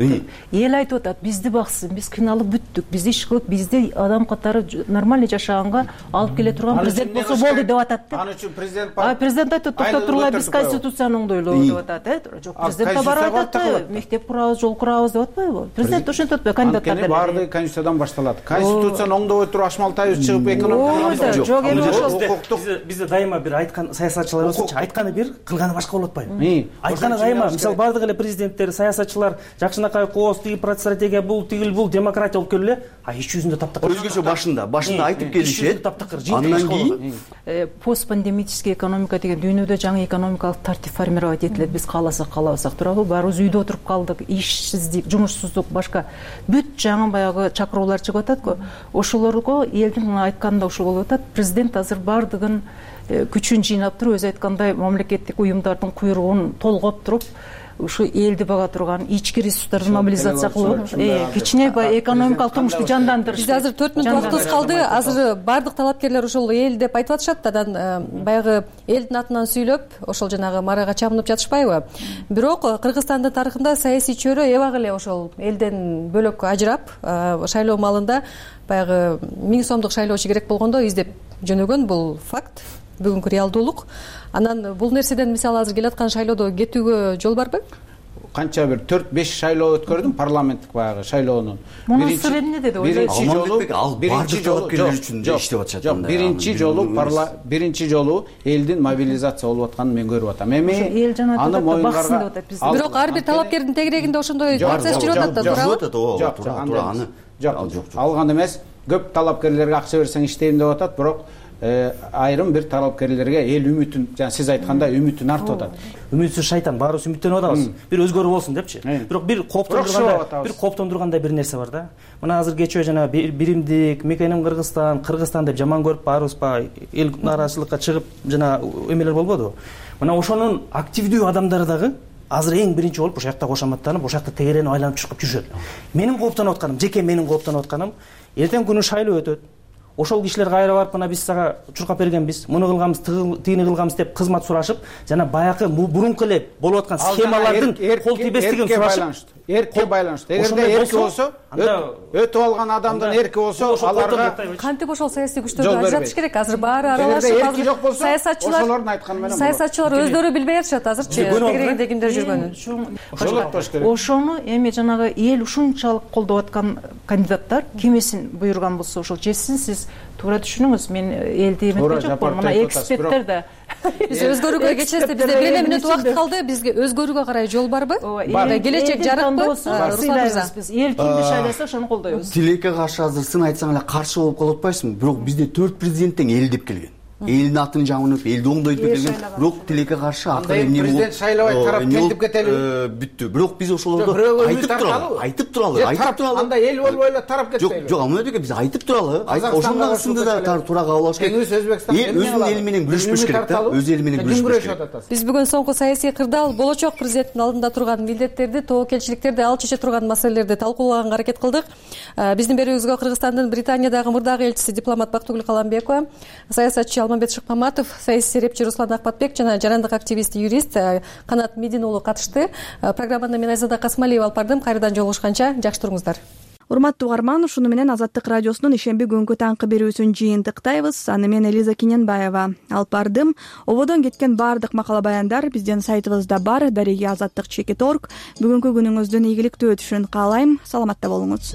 Эл айтып атат, бизди баксын, биз кыйналып бүттүк, биз иш кылып, бизди адам катары нормальный жашаганга алып келе турган президент болсо болду деп атат. Аны үчүн президент А президент айтат, токтоп тургула, биз конституцияны оңдойлобу деп атат, э? Жок, президент барып атат, мектеп курабыз, жол курабыз деп атпайбы? Президент ошентип атпайбы, кандидаттар деле. Баардыгы конституциядан башталат. Конституцияны оңдобой туруп Ашмалтаев чыгып экономикага жок, эми ошол бизде дайыма бир айткан саясатчыларыбыз айтканы бир, кылганы башка болуп атпайбы? Айтканы дайыма, мисалы баардык эле президенттер, саясатчылар жакшынакай кооз, тиги стратегия бул, тигил бул, демократия болуп келе, а иш жүзүндө таптакыр. Өзгөчө башында, башында айтып келишет. Андан кийин постпандемический экономика деген дүйнөдө жаңы экономикалык тартип формировать этилет. Биз кааласак, каалабасак турабы, баарыбыз үйдө отуруп калдык, ишсиздик, жумушсуздук, башка бүт жаңы баягы чакыруулар чыгып атат го. Ошолорго элдин айтканында ушул болуп атат. Президент азыр баардыгын күчүн жыйнап туруп, өзү айткандай мамлекеттик уюмдардын куйругун толгоп туруп, ушу элди бага турган ички ресурстарды мобилизация кылып, кичине экономикалык турмушту жандандырыш. Бизде азыр төрт мүнөт убактыбыз калды. Азыр баардык талапкерлер ошол эл деп айтып атышат. Анан баягы элдин атынан сүйлөп, ошол жанагы марайга чабынып жатышпайбы? Бирок Кыргызстандын тарыхында саясий чөйрө эбак эле ошол элден бөлөк ажырап, шайлоо маалында баягы миң сомдук шайлоочу керек болгондо издеп жөнөгөн, бул факт, бүгүнкү реалдуулук. Анан бул нерседен мисалы азыр келаткан шайлоодо кетүүгө жол барбы? Канча бир төрт беш шайлоо өткөрдүм, парламенттик баягы шайлоонун. Мунун сыры эмне деди? Биринчи жолу, ал бардык талапкерлер үчүн иштеп атышат. Жок, биринчи жолу биринчи жолу элдин мобилизация болуп атканын мен көрүп атам. Эми аны моюнгарга. Бирок ар бир талапкердин тегерегинде ошондой процесс жүрүп атат да, туурабы? Жок, туура аны. Жок, алган эмес. Көп талапкерлерге акча берсең иштейм деп атат, бирок айрым бир талапкерлерге эл үмүтүн, жана сиз айткандай үмүтүн артып атат. Үмүтсүз шайтан, баарыбыз үмүттөнүп атабыз. Бир өзгөрүү болсун депчи. Бирок бир кооптондургандай, бир кооптондургандай бир нерсе бар да. Мына азыр кечөө жана биримдик, мекеним Кыргызстан, Кыргызстан деп жаман көрүп баарыбыз па эл нааразычылыкка чыгып жана эмелер болбодубу? Мына ошонун активдүү адамдары дагы азыр эң биринчи болуп ошол жакта кошоматтанып, ошол жакта тегеренип айланып чыгып жүрүшөт. Менин кооптонуп атканым, жеке менин кооптонуп атканым, эртең күнү шайлоо өтөт. Ошол кишилер кайра барып, мына биз сага чуркап бергенбиз, муну кылганбыз, тигини кылганбыз деп кызмат сурашып, жана баягы мурунку эле болуп аткан схемалардын кол тийбестигин сурашып, эркке байланыштуу. Эгерде эрки болсо, өтүп алган адамдын эрки болсо, аларга кантип ошол саясий күчтөрдү ажыратыш керек? Азыр баары аралашып, азыр саясатчылар, ошолордун айтканы менен саясатчылар өздөрү билбей атышат азырчы, тегерегинде кимдер жүргөнүн. Ошолоттош керек. Ошону эми жанагы эл ушунчалык колдоп аткан кандидаттар кимесин буйруган болсо ошол чечсин. Сиз туура түшүнүңүз, мен элди эметкен жокмун, мына эксперттер да. Биз өзгөрүүгө кечесиз, бизде бир эле мүнөт убакыт калды. Бизге өзгөрүүгө карай жол барбы? Келечек жарыкпы? Руслан мырза, биз эл кимди шайласа ошону колдойбуз. Тилекке каршы азыр сын айтсаң эле каршы болуп калып атпайсыңбы? Бирок бизде төрт президент тең эл деп келген. элдин атын жамынып элди оңдойтуп келген, бирок тилекке каршы акыры эмне болуп президент шайлабай тарап келип кетелиби? Бүттү. Бирок биз ошолорду айтып туралы, айтып туралы, айтып туралы. Анда эл болбой эле тарап кетпейби? Жок, жок, амына биз айтып туралы. Ошондон ысында да туура кабыл алыш керек. Өзбекстан өзүнүн эли менен күрөшпөш керек да, өз эли менен күрөшпөш керек. Биз бүгүн соңку саясий кырдаал болочок президенттин алдында турган милдеттерди, тобокелчиликтерди, ал чече турган маселелерди талкуулаганга аракет кылдык. Биздин берүүбүзгө Кыргызстандын Британиядагы мурдагы элчиси дипломат Бактыгүл Каламбекова, саясатчы Алмамбет Шыкмаматов, саясий серепчи Руслан Акбатбек жана жарандык активист, юрист Канат Медин уулу катышты. Программаны мен Айзада Касмалиева алып бардым. Кайрадан жолугушканча жакшы туруңуздар. Урматтуу угарман, ушуну менен Азаттык радиосунун ишемби күнгү таңкы берүүсүн жыйынтыктайбыз. Аны мен Элиза Киненбаева алып бардым. Ободон кеткен баардык макала баяндар биздин сайтыбызда бар. Дареги азаттык чекит точка орг. Бүгүнкү күнүңүздүн ийгиликтүү өтүшүн каалайм. Саламатта болуңуз.